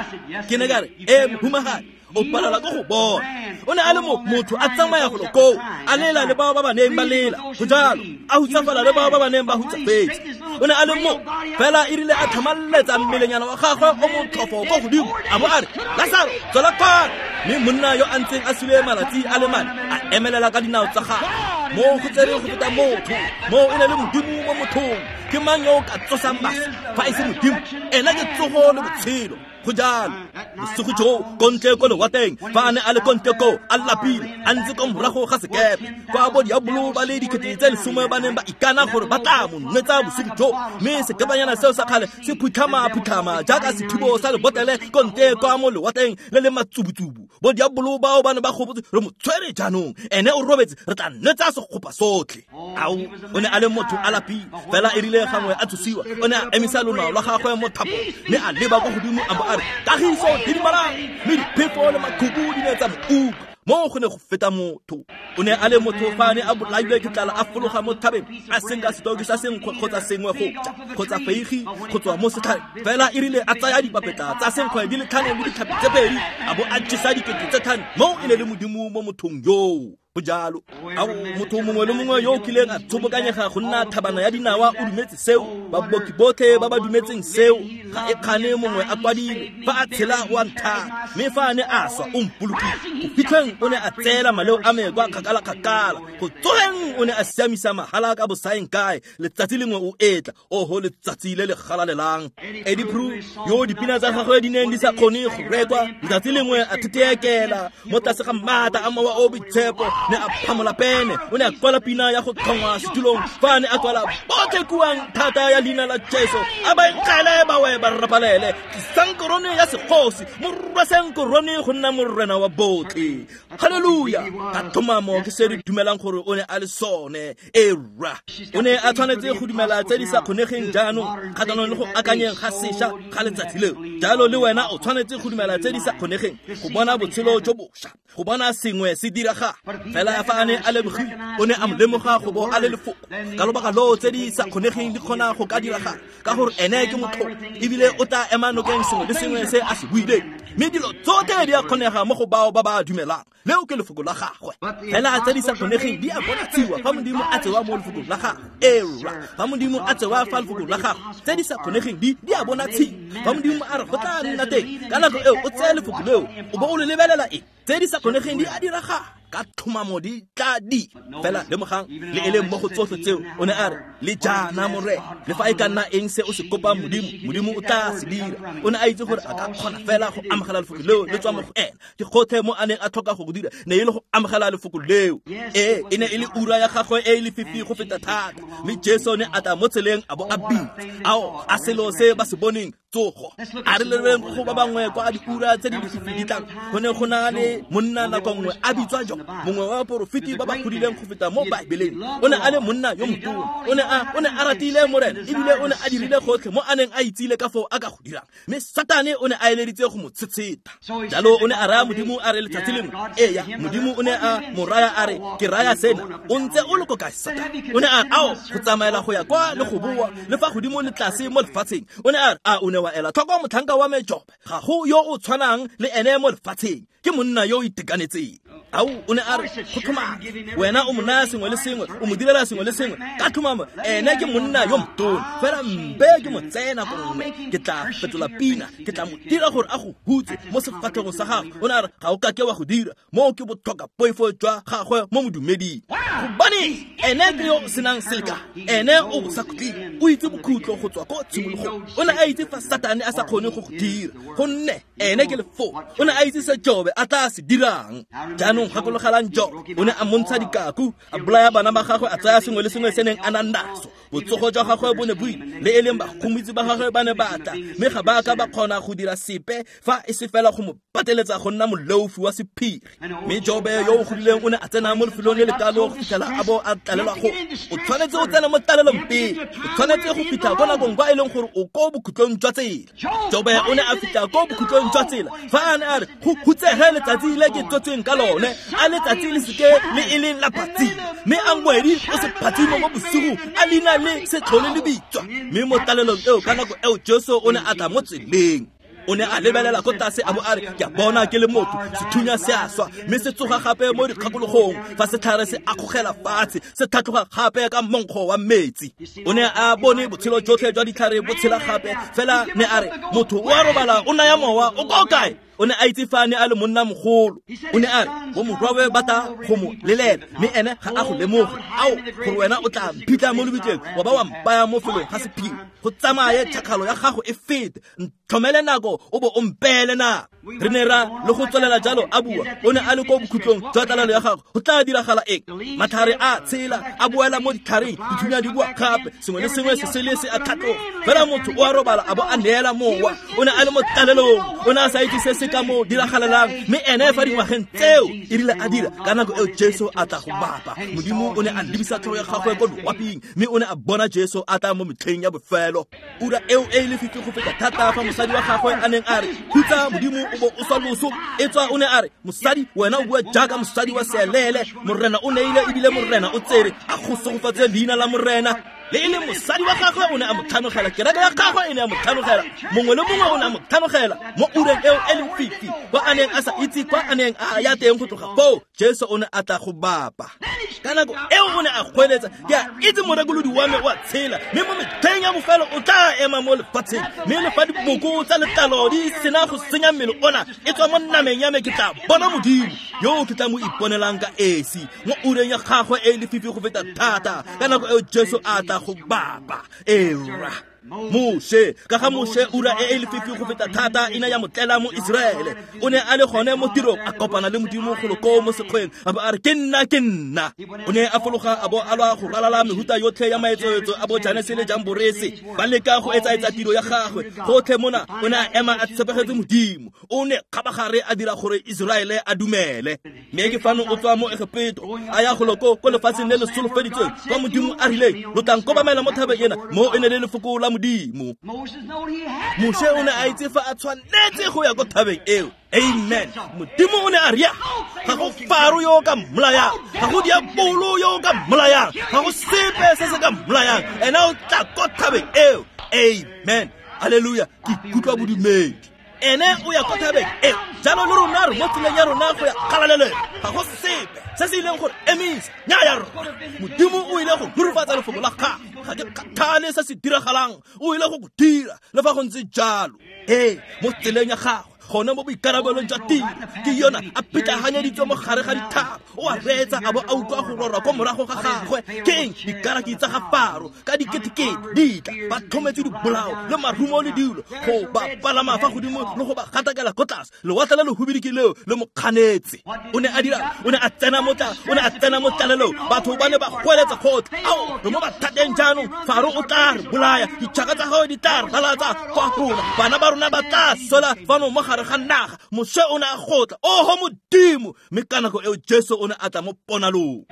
Ke ne ka re e mohumagadi o palelwa ke go bona. O ne a le motho a tsamaya golo koo a lela le bao ba ba neng ba lela go jalo a hutsafala le bao ba ba neng ba hutsafetse. O ne a le mo fela e rile a tlhamalletsa mmelenyana wa gagwe o motlhofo ko godimo a bo a re Lasaro tswela kwano. Mme monna yo a ntseng a sule malatsi a le mane a emelela ka dinao tsa gagwe. Mo go tsere go feta motho mo o ne le modimo mo mothong. Ke mang yo o ka tsosang baswi fa e se modimo? Ena ke tsogo le botshelo. Go jalo bosigo joo ko ntle ko lewatleng fa a ne a le ko ntle koo a lapile a ntse ko morago ga sekepe kwa bo diabolo ba le dikete tse lesome ba neng ba ikana gore ba tla mo nwetsa bosigo joo. Mme sekepanyana seo sa kgale se phutlhama-phutlhama jaaka sethibo sa lebotlele ko ntle kwa mo lewatleng le le matsubutsubu. Bo diabolo bao ba ne ba gopotse re mo tshwere jaanong ene o robetse re tla nwetsa segopa sotlhe. Ao o ne a le motho a lapile fela e rile gangwe a tsosiwa o ne a emisa lonao lwa gagwe mo thapong mme a leba kwa godimo a bo a re kagiso didimalang mme diphefo le makhubu di ne tsa mo utlwa. Mo go ne go feta motho. O ne a le motho fa a ne a bolailwe ke tlala a fologa mo thabeng a senka setoki sa senkgwe kgotsa sengwe go ja kgotsa feigi go tswa mo setlhareng. Fela e rile a tsaya dipapetla tsa senkgwe di le tlhano le ditlhapi tse pedi a bo a jesa dikete tse tlhano. Mo e ne le modimo mo mothong yoo. Go jalo ao motho mongwe le mongwe yo o kileng a tshobokanyega go nna thabana ya dinawa o dumetse seo. Baboki botlhe ba ba dumetseng seo ga e kgane mongwe a kwadile fa a tshela o a nthata mme fa a ne a swa o mpolokile. Go fitlheng o ne a tseela maleo a me kwa kgakala-kgakala. Go tsogeng o ne a siamisa mahala ka bosaeng kae. Letsatsi lengwe o etla oho letsatsi le le galalelang. Eddie Prue yo dipina tsa gagwe di neng di sa kgone go rekwa letsatsi lengwe a thetheekela mo tlase ga maatla a mowa o boitshepo ne a phamola pene. O ne a kwala pina ya go tlhongwa setulong fa a ne a kwala botlhe kuang thata ya leina la Jesu a ba nkgele ba we ba rapalele tlisang korone ya segosi morwaseng korone go nna morena wa botlhe. Haleluya. Ka tlhomamo ke se re dumelang gore o ne a le sone. Era o ne a tshwanetse go dumela tse di sa kgonegeng jaanong kgatlhanong le go akanyeng ga sešwa ga letsatsi leo. Jalo le wena o tshwanetse go dumela tse di sa kgonegeng go bona botshelo jo bošwa go bona sengwe se diragala. Fela fa a ne a lebogile o ne a mo lemoga go bo a le lefoko ka lobaka loo tse di sa kgonegeng di kgona go ka diragala ka gore ene ke motho ebile o tla ema nokeng sengwe le sengwe se a se buileng. Mme dilo tsotlhe di a kgonega mo go bao ba ba dumelang. Leo ke lefoko la gagwe. Fela tse di sa kgonegeng di a bonatshiwa fa modimo a tsewa mo lefokong la gagwe. Era fa modimo a tsewa fa lefokong la gagwe tse di sa kgonegeng di di a bonatshiwa. Fa modimo a re go tla nna teng ka nako eo o tseye lefoko leo o bo o le lebelela eng tse di sa kgonegeng di a diragala ka tlhomamo di tla di. Fela lemogang le e leng mo go tsotlhe tseo o ne a re le jaana morena le fa e ka nna eng se o se kopang modimo modimo o tla se dira. O ne a itse gore a ka kgona fela go amogela lefoko leo le tswa mo go ena. Ke gotlhe mo a neng a tlhoka go go dira ne e le go amogela lefoko leo. Ee e ne e le ura ya gagwe e e lefifi go feta thata mme Jesu ne a tla mo tseleng a bo a bitsa ao a selo se ba se boneng tsogo. A re lebeng go ba bangwe kwa diura tse di lefifi di tlang. Go ne go na le monna nako nngwe a bitswa jo mongwe wa baporofeti ba ba godileng go feta mo Baebeleng. O ne a le monna yo motona, o ne a o ne a ratile Morena, ebile o ne a dirile gotlhe mo a neng a itsile ka foo a ka go dirang. Mme Satane o ne a eleditse go mo tshetsheta. Jalo o ne a raya Modimo a re letsatsi lengwe, eya, Modimo o ne a mo raya a re, ke raya sena, o ntse o le ko kae Satane? O ne a re, ao, go tsamaela go ya kwa le go boa, le fa godimo le tlase mo lefatsheng. O ne a re, a o ne wa ela tlhoko motlhanka wa me Job, ga go yo o tshwanang le ene mo lefatsheng, ke monna yo o itekanetseng. Ao, o ne a re, go tlhomame, wena o mo naya sengwe le sengwe, o mo direla sengwe le sengwe, ka tlhomamo ene ke monna yo motona, fela mpe ke mo tsena gongwe, ke tla fetola pina, ke tla mo dira gore a go hutse mo sefatlhegong sa gagwe. O ne a re, ga o kake wa go dira, moo ke botlhoka poifo jwa gagwe mo modumeding. Gobane ene ke yo o senang selekano, ene o bosakhutleng, o itse bokhutlo go tswa ko tshimologong. O ne a itse fa Satane a sa kgone go go dira, gonne ene ke lefoko. O ne a itse se Jobe a tla se dirang. Jaanong gakologelang Job, o ne a montsha dikaku, a bolaya bana ba gagwe, a tsaya sengwe le sengwe se neng a na naso. Botsogo jwa gagwe bo ne bo ile, le e leng bagomotsi ba gagwe ba ne ba tla, mme ga ba ka ba kgona go dira sepe fa e se fela go mo pateletsa go nna moleofi wa sephiri. Mme Jobe yo o godileng o ne a tsena mo lefelong le le kalo go fitlhela a bo a tlalelwa go. O tshwanetse o tsena mo tlalelong pele, o tshwanetse go fitlha ko nakong kwa e leng gore o ko bokhutlong jwa tsela. Jobe o ne a fitlha ko bokhutlong jwa tsela fa a ne a re, go hutsege letsatsi le ke tsotsweng ka lone, a letsatsi le seke le e leng la phatsima, mme a ngwedi o se phatsimo mo bosigong, a leina le se tlhole le bitswa. Mme mo tlalelong eo, ka nako eo, Jesu o ne a tla mo tseleng. O ne a lebelela ko tlase a bo a re, ke a bona ke le motho, sethunya se a swa, mme se tsoga gape mo dikgakologong, fa setlhare se akgogela fatshe, se tlhatloga gape ka monkgo wa metsi. O ne a bone botshelo jotlhe jwa ditlhare bo tshela gape, fela ne a re, motho o a robala, o naya mowa, o ko kae? O ne a itse fa a ne a le monna mogolo. O ne a re, bo morwawe ba tla go mo lelela, mme ene ga a go lemoge. Ao, gore wena o tla mphitlha mo lebitleng, wa ba wa mpaya mo felong ga sephiri, go tsamaye tšhakgalo ya gago e fete, ntlhomele nako o bo o mpeele nako. Re ne ra le go tswelela jalo a bua, o ne a le ko bokhutlong jwa tlalelo ya gagwe. Go tla diragala eng? Matlhare a tshela, a boela mo ditlhareng, dithunya di boa gape, sengwe le sengwe se sele se a tlhatloga. Fela motho o a robala a bo a neela mowa. O ne a le mo tlalelong, o ne a sa itse se se ka mo diragalelang, mme ene fa dingwageng tseo e rile a dira, ka nako eo Jesu a tla go bapa. Modimo o ne a lebisa tlhogo ya gagwe ko loaping, mme o ne a bona Jesu a tla mo metlheng ya bofelo. Ura eo e lefifi go feta thata fa mosadi wa gagwe a neng a re, hutsa Modimo o bo o swa loso. E tswa o ne a re, mosadi wena o bua jaaka mosadi wa seelele, Morena o neile ebile Morena o tsere, a go segofatse leina la Morena. Le e leng mosadi wa gagwe o ne a mo tlhanogela, kereke ya gagwe e ne a mo tlhanogela, mongwe le mongwe o ne a mo tlhanogela mo ureng eo e leng fifi, kwa a neng a sa itse kwa a neng a ya teng go tloga foo. Jesu o ne a tla go bapa. Ka nako eo o ne a goeletsa, ke a itse morekolodi wa me o a tshela, mme mo metlheng ya bofelo o tla ema mo lefatsheng, mme le fa diboko tsa letlalo di sena go senya mmele ona, e tswa mo nameng ya me ke tla bona Modimo yo ke tla mo iponelang ka esi mo ureng ya gagwe e lefifi go feta thata. Ka nako eo Jesu a tla go bapa. Era Moshe, ka ga Moshe, ura e e lefifi go feta thata e ne ya mo tlela mo Iseraele. O ne a le gone mo tirong, a kopana le Modimo golo koo mo sekgweng, a bo a re, ke nna, ke nna. O ne a fologa a bo a lwa go ralala mehuta yotlhe ya maetsoetso a bo Janese le Jamborese, ba leka go etsaetsa tiro ya gagwe. Gotlhe mona o ne a ema a tshepegetse Modimo. O ne kgabagare a dira gore Iseraele a dumele. Mme ke fano o tswa mo Egepeto, a ya golo ko ko lefatsheng le le solofeditsweng, kwa Modimo a rileng, lo tla nkobamela mo thabeng ena, mo e ne le lefoko la Modimo. Moshe o ne a itse fa a tshwanetse go ya ko thabeng eo. Amen. Modimo o ne a ria, ga go Faro yo ka mmolayang, ga go diabolo yo ka mmolayang, ga go sepe se se ka mmolayang, ena o tla ko thabeng eo. Amen. Hallelujah. Ke ikutlwa bodumedi. Ene o ya ko thabeng eo. Jalo le rona re mo tseleng ya rona go ya kgalalelong, ga go sepe se se ileng gore emisa nnyaya rona. Modimo o ile go rurifatsa lefoko la gagwe, ga ke kgathale se se diragalang, o ile go go dira le fa go ntse jalo. Ee, mo tseleng ya gagwe, gone mo boikarabelong jwa tiro, ke yona a pitlaganyeditswe mo gare ga dithaba. O a reetsa a bo a utlwa go rorwa ko morago ga gagwe. Ke eng? Dikaraki tsa ga Faro ka diketekete di tla, ba tlhometse dibolao le marumo le dilo go ba palama fa godimo le go ba gatakela ko tlase. Lewatle le lehubidi ke leo le mo kganetse. O ne a dira, o ne a tsena mo tla, o ne a tsena mo tlalelong. Batho ba ne ba goeletsa gotlhe, ao, re mo mathateng jaanong, Faro o tla re bolaya, ditšhaka tsa gagwe di tla re ralatsa kwa rona, bana ba rona ba tla swela fano mo gare gare ga naga Moshe o ne a gotla oho Modimo mme ka nako eo Jesu o ne a tla mo ponalong.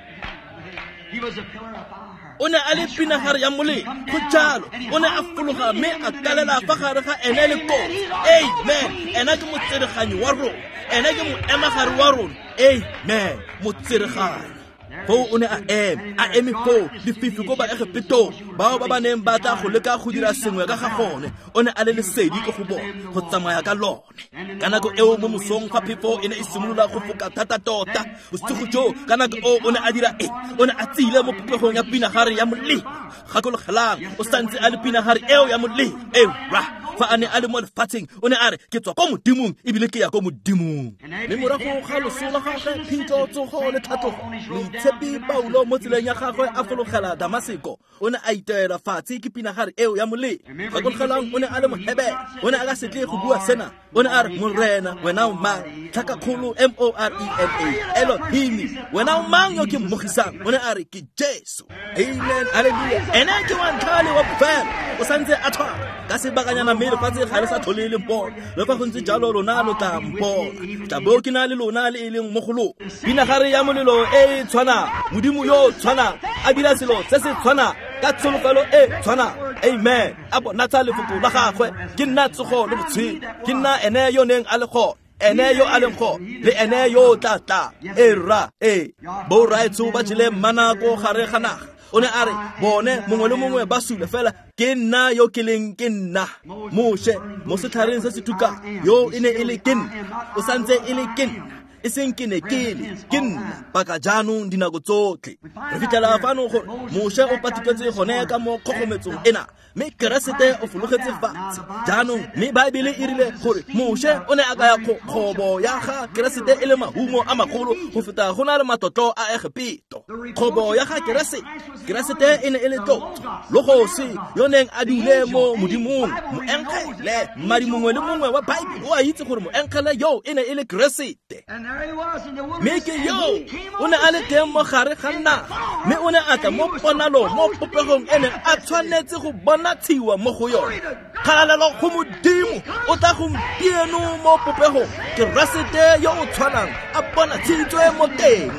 O ne a le pinagare ya molelo go jalo o ne a fologa mme a kalela fa gare ga ene le kotsi. Amen. Ena ke motsereganyi wa rona, ene ke moemagare wa rona. Amen. Motsereganyi foo o ne a ema a eme foo lefifi ko Baegepetong bao ba ba neng ba tla go leka go dira sengwe ka ga gone. O ne a le lesedi ko go bone go tsamaya ka lone. Ka nako eo mo mosong fa phefo e ne e simolola go foka thata tota bosigo joo ka nako eo o ne a dira eng? O ne a tsile mo popegong ya pinagare ya molelo. Gakologelang o santse a le pinagare eo ya molelo eo ra fa a ne a le mo lefatsheng o ne a re ke tswa ko Modimong ebile ke ya ko Modimong. Mme morago ga loso la gagwe phitlho tsogo le tlhatlogo moitshepi Paulo mo tseleng ya gagwe a fologela Damaseko o ne a iteela fatshe ke pinagare eo ya molelo. Gakologelang o ne a le Mohebere, o ne a ka se tle go bua sena. O ne a re Morena wena o mang? Tlhakakgolo M O R E N A Elohim wena o mang yo ke mmogisang? O ne a re ke Jesu. Amen. Hallelujah. Ene ke wa ntlha le wa bofelo o santse a tshwana ka sebakanyana mme lefatshe ga le sa tlhole le mpona. Le fa go ntse jalo lona lo tla mpona, tla bo ke na le lona le e leng mo go lona. Pinagare ya molelo e e tshwanang, Modimo yo o tshwanang a dira selo se se tshwanang ka tsholofelo e tshwanang. Amen. A bonatsa lefoko la gagwe ke nna tsogo le botshelo, ke nna ene yo neng a le gone, ene yo a leng gone le ene yo o tla tlang. E rra e borraetsho ba jele mana ko gare ga naga. O ne a re bone mongwe le mongwe ba sule fela ke nna yo ke leng ke nna. Moshe mo setlhareng se se tukang yo e ne e le ke nna, o santse e le ke nna, e seng ke ne ke le ke nna paka jaanong dinako tsotlhe. Re fitlhela fano gore Moshe o patiketse gone ka mo kgogometsong ena mme Keresete o fologetse fatshe jaanong. Mme Baebele e rile gore Moshe o ne a kaya kgobo ya ga Keresete e le mahumo a magolo go feta go na le matlotlo a Egepeto. Kgobo ya ga Keresete, Keresete e ne e le tlotlo logosi yo neng a dule mo Modimong. Moengele mmadi mongwe le mongwe wa Baebele o a itse gore moengele yo e ne e le Keresete. Mme ke yo o ne a le teng mo gare ga naga mme o ne a tla mo ponalong mo popegong e neng a tshwanetse go bonatshiwa mo go yone. Kgalalelo go Modimo o tla gompieno mo popegong Keresete yo o tshwanang a bonatshitswe mo teng.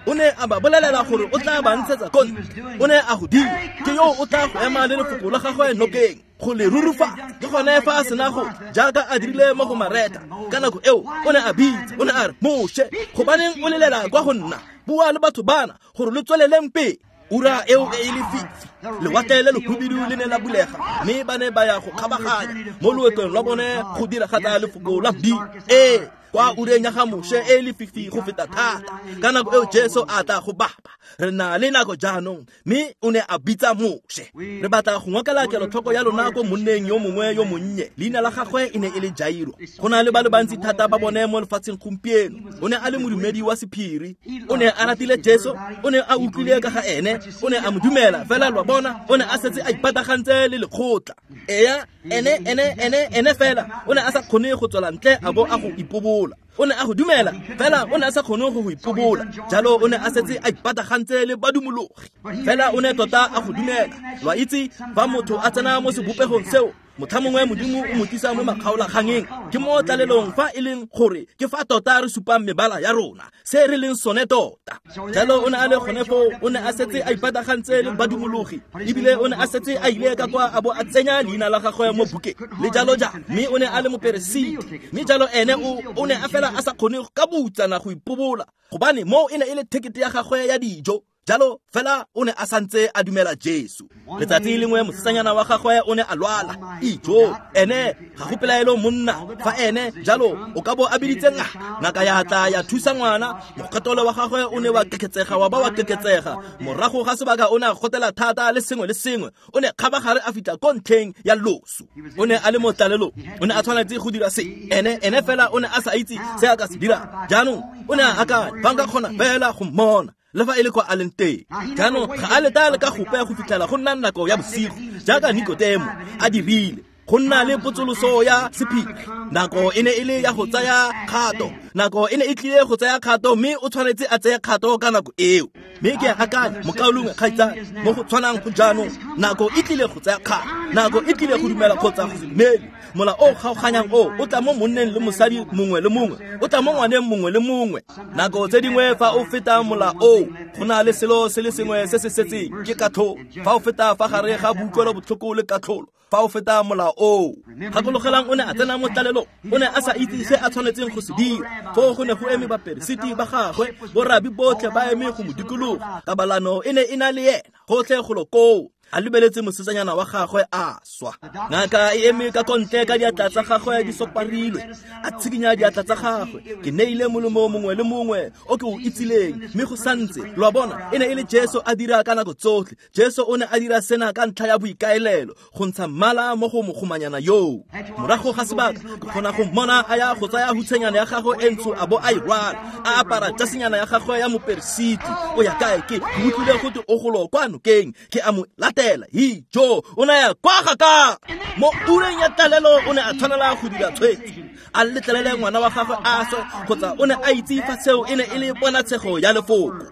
O ne a ba bolelela gore o tla ba ntshetsa ko ntle, o ne a go dira. Ke yo o tla go ema le lefoko la gagwe nokeng go le rurufatsa. Ke gone fa a sena go jaaka a dirile mo go Mareta ka nako eo o ne a bitsa, o ne a re Moshe gobaneng o lelela kwa go nna? Bua le batho bana gore lo tsweleleng pele. Ura eo e e lefifi lewatle le lehubidu le ne la bulega mme ba ne ba ya go kgabaganya mo loetong lwa bone go diragatsa lefoko la Modimo. Ee, kwa ureng ya ga Moshe e lefifi go feta thata ka nako eo Jesu a tla go bapa. Re na le nako jaanong mme o ne a bitsa Moshe. Re batla go ngokela kelotlhoko ya lona ko monneng yo mongwe yo monnye, leina la gagwe e ne e le Jairo. Go na le ba le bantsi thata ba bone mo lefatsheng gompieno. O ne a le modumedi wa sephiri, o ne a ratile Jesu, o ne a utlwile ka ga ene, o ne a mo dumela fela lwa bona o ne a setse a ipatagantse le lekgotla. Eya ene ene ene ene fela o ne a sa kgone go tswela ntle a bo a go ipobola. O ne a go dumela fela o ne a sa kgone go go ipobola. Jalo o ne a setse a ipatagantse le badumologi fela o ne tota a go dumela. Lwa itse fa motho a tsena mo sebopegong seo motlha mongwe Modimo o mo tlisa mo makgaolakgangeng. Ke mo tlalelong fa e leng gore ke fa tota re supang mebala ya rona se re leng sone tota. Jalo o ne a le gone foo, o ne a setse a ipatagantse le badumologi ebile o ne a setse a ile ka kwa a bo a tsenya leina la gagwe mo bukeng le jalo jalo. Mme o ne a le moperesiti mme jalo ene o o ne a fela a sa kgone ka boutsana go ipobola gobane mo e ne e le thekete ya gagwe ya dijo. Jalo fela o ne a santse a dumela Jesu. Letsatsi lengwe mosetsanyana wa gagwe o ne a lwala. Ijo ene ga go pelaelo monna fa ene jalo o ka bo a biditse ngaka. Ngaka ya tla ya thusa ngwana, mokgatolo wa gagwe o ne wa keketsega wa ba wa keketsega. Morago ga sebaka o ne a gotela thata le sengwe le sengwe. O ne kgabagare a fitlha ko ntlheng ya loso. O ne a le mo tlalelong, o ne a tshwanetse go dira se. Ene ene fela o ne a sa itse se a ka se dira. Jaanong o ne a akanya fa nka kgona fela go mmona le fa e le kwa a leng teng. Jaanong ga a leta le ka gope go fitlhela go nna nako ya bosigo jaaka Nikodemo a dirile go nna le potsoloso ya sephiri. Nako e ne e le ya go tsaya kgato, nako e ne e tlile go tsaya kgato mme o tshwanetse a tseye kgato ka nako eo. Mme ke a akanya mokaulengwe kgaitsadi mo go tshwanang go jaanong, nako e tlile go tsaya kgato, nako e tlile go dumela kgotsa go se dumele. Mola o kgaoganyang o o tla mo monneng le mosadi mongwe le mongwe, o tla mo ngwaneng mongwe le mongwe. Nako tse dingwe fa o feta mola o, go na le selo se le sengwe se se setseng, ke katlholo. Fa o feta fa gare ga boutlwelo botlhoko le katlholo, fa o feta mola o. Gakologelang o ne a tsena mo tlalelong, o ne a sa itse se a tshwanetseng go se dira. Foo go ne go eme baperesiti ba gagwe, borabi botlhe ba eme go mo dikologa. Kabalano e ne e na le ena gotlhe golo koo, a lebeletse mosetsanyana wa gagwe a swa. Ngaka e eme ka kontle ka diatla tsa gagwe di soparilwe, a tshikinya diatla tsa gagwe. Ke neile molemo mongwe le mongwe o ke o itsileng, mme go santse. Lo a bona, e ne e le Jesu a dira ka nako tsotlhe. Jesu o ne a dira sena ka ntlha ya boikaelelo, go ntsha mmala mo go mogomanyana yoo. Morago ga sebaka, ke kgona go mmona a ya go tsaya hutshenyana ya gagwe e ntsho a bo a e rwala, a apara jasenyana ya gagwe ya moperesiti. O ya kae? Ke utlwile gote o golo kwa nokeng, ke a mo latela. Hi jo, o ne a ya kwa ga ka. Mo ureng ya tlalelo o ne a tshwanela go dira tshwetso, a letlelele ngwana wa gagwe a swe, kgotsa o ne a itse fa seo e ne e le ponatshego ya lefoko.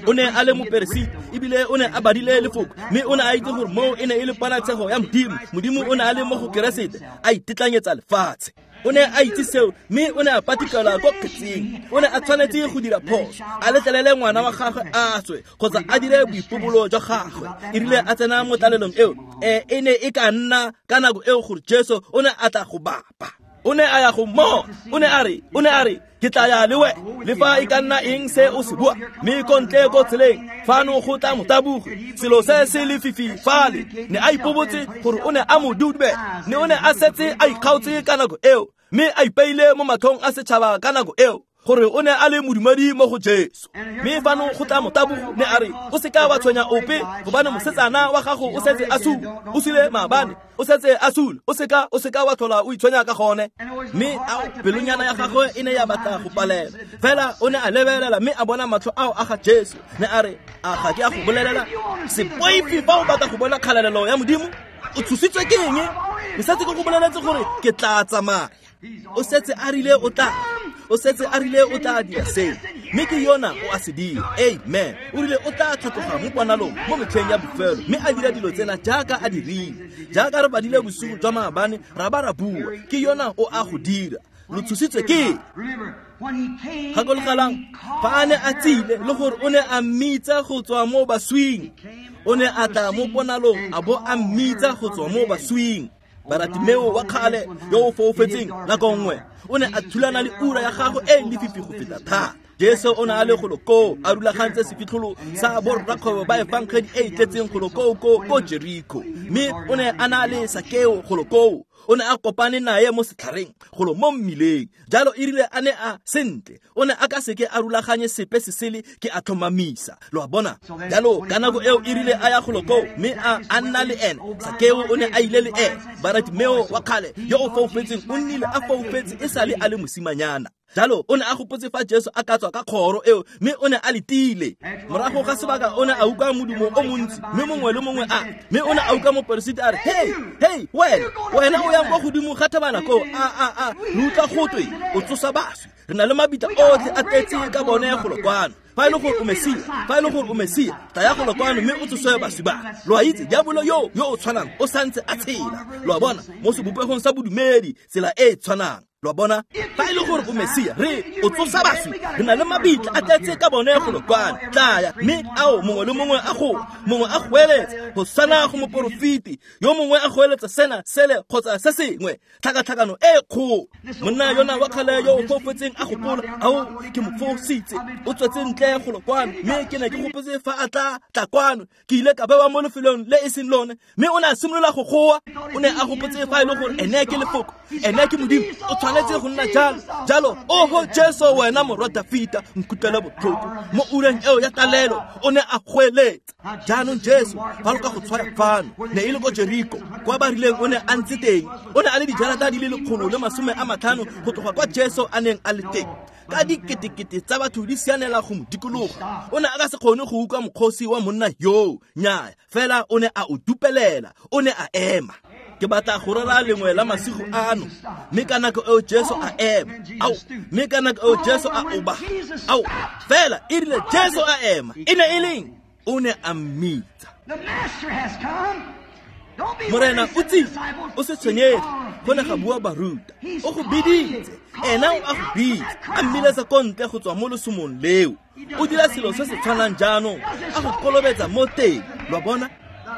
O ne a le moperesiti, ebile o ne a badile lefoko, mme o ne a itse gore moo e ne e le ponatshego ya Modimo. Modimo o ne a le mo go Keresete, a itetlanyetsa lefatshe. O ne a itse seo, mme o ne a patikela ko kgetsing. O ne a tshwanetse go dira phoso, a letlelele ngwana wa gagwe a swe, kgotsa a dire boipobolo jwa gagwe. E rile a tsena mo tlalelong eo, e e ne e ka nna ka nako eo gore Jesu o ne a tla go bapa. O ne a ya go mmona, o ne a re, o ne a re, ke tla ya le wena, le fa e ka nna eng se o se bua. Mme ko ntle ko tseleng fano go tla motabogi, selo se se lefifi fale. Ne a ipobotse gore o ne a mo dube, ne o ne a setse a ikgaotse ka nako eo, mme a ipeile mo matlhong a setšhaba ka nako eo gore o ne a le modumedi mo go Jesu. Mme fano go tla motabogo, ne a re, o seka wa tshwenya ope, gobane mosetsana wa gago o setse a sule, o sule maabane, o setse a sule, o seka o seka wa tlhola o itshwenya ka gone. Mme ao pelonyana ya gagwe e ne ya batla go palela, fela o ne a lebelela mme a bona matlho ao a ga Jesu. Ne a re, a ga ke a go bolelela, se boife fa o batla go bona kgalalelo ya Modimo. O tshositswe ke eng? Ke setse ke go boleletse gore ke tla tsamaya. O setse a rile o tla, o setse a rile o tla dira seo, mme ke yona o a se dira. Amen. O rile o tla tlhatloga mo ponalong mo metlheng ya bofelo, mme a dira dilo tsena jaaka a dirile. Jaaka re badile bosigo jwa maabane, ra ba ra bua, ke yona o a go dira. Lo tshositswe ke? Gakologelang, fa a ne a tsile le gore o ne a mmitsa go tswa mo baswing, o ne a tla mo ponalong a bo a mmitsa go tswa mo baswing. Baratimeo wa kgale yo o foufetseng nako nngwe o ne a thulana le ura ya gagwe e lefifi go feta thata. Jesu o ne a le golo koo, a rulagantse sefitlholo sa borrakgwebo ba efangedi e e tletseng golo koo ko ko Jeriko, mme o ne a na le Sakeo golo koo. O ne a kopane naye mo setlhareng golo mo mmileng. Jalo e rile a ne a sentle, o ne a ka seke a rulaganye sepe se sele, ke a tlhomamisa. Lo a bona? Jalo ka nako eo e rile a ya golo koo, mme a a nna le ene. Sakeo o ne a ile le ene. Baratimeo wa kgale yo o foufetseng o nnile a foufetse e sale a le mosimanyana. Jalo o ne a gopotse fa Jesu a ka tswa ka kgoro eo, mme o ne a letile. Morago ga sebaka o ne a utlwa modumo o montsi, mme mongwe le mongwe a, mme o ne a utlwa moperesiti a re, hey, hey, wena, wena o yang kwa godimo ga thabana koo, a a a, re utlwa gotwe o tsosa baswi. Re na le mabitla otlhe a tletse ka bone golo kwano. Fa e le gore o Mesia, fa e le gore o Mesia, tlaya golo kwano mme o tsoswe baswi ba. Lo a itse, diabolo yo yo o tshwanang o santse a tshela. Lo a bona, mo sebopegong sa bodumedi, tsela e e tshwanang. Lo a bona, fa e le gore o Mesia, re o tsosa baswi, re na le mabitla a tletse ka bone golo kwano. Tlaya, mme ao mongwe le mongwe a goa, mongwe a goeletsa go tshwana go moporofeti, yo mongwe a goeletsa sena sele kgotsa se sengwe, tlhakatlhakano e kgolo. Monna yona wa kgale yo o foufetseng a gopola, ao ke mo fositse, o tswetse ntle golo kwano, mme ke ne ke gopotse fa a tla tla kwano, ke ile ka bewa mo lefelong le e seng lone. Mme o ne a simolola go goa. O ne a gopotse fa e le gore ene ke lefoko, ene ke Modimo, o tshwanetse go nna jalo jalo. Oho Jesu, wena morwa Dafita, nkutlwele botlhoko. Mo ureng eo ya talelo o ne a goeletsa. Jaanong Jesu fa lo ka go tshwara fano, ne e le ko Jeriko kwa ba rileng o ne a ntse teng. O ne a le dijarata di le lekgolo le masome a matlhano go tloga kwa Jesu a neng a le teng, ka diketekete tsa batho di sianela go mo dikologa. O ne a ka se kgone go utlwa mokgosi wa monna yoo, nnyaya, fela o ne a o dupelela, o ne a ema. Ke batla go rera lengwe la masigo ano. Mme ka nako eo Jesu a ema, ao, mme ka nako eo Jesu a oba, ao, fela e rile Jesu a ema, e ne e leng? O ne a mmitsa. The master has come. Morena o tsile, o se tshwenyege, go ne ga bua baruta. O go biditse, ena o a go bitsa, a mmiletsa ko ntle go tswa mo lesomong leo. O dira selo se se tshwanang jaanong, a go kolobetsa mo teng, lo a bona?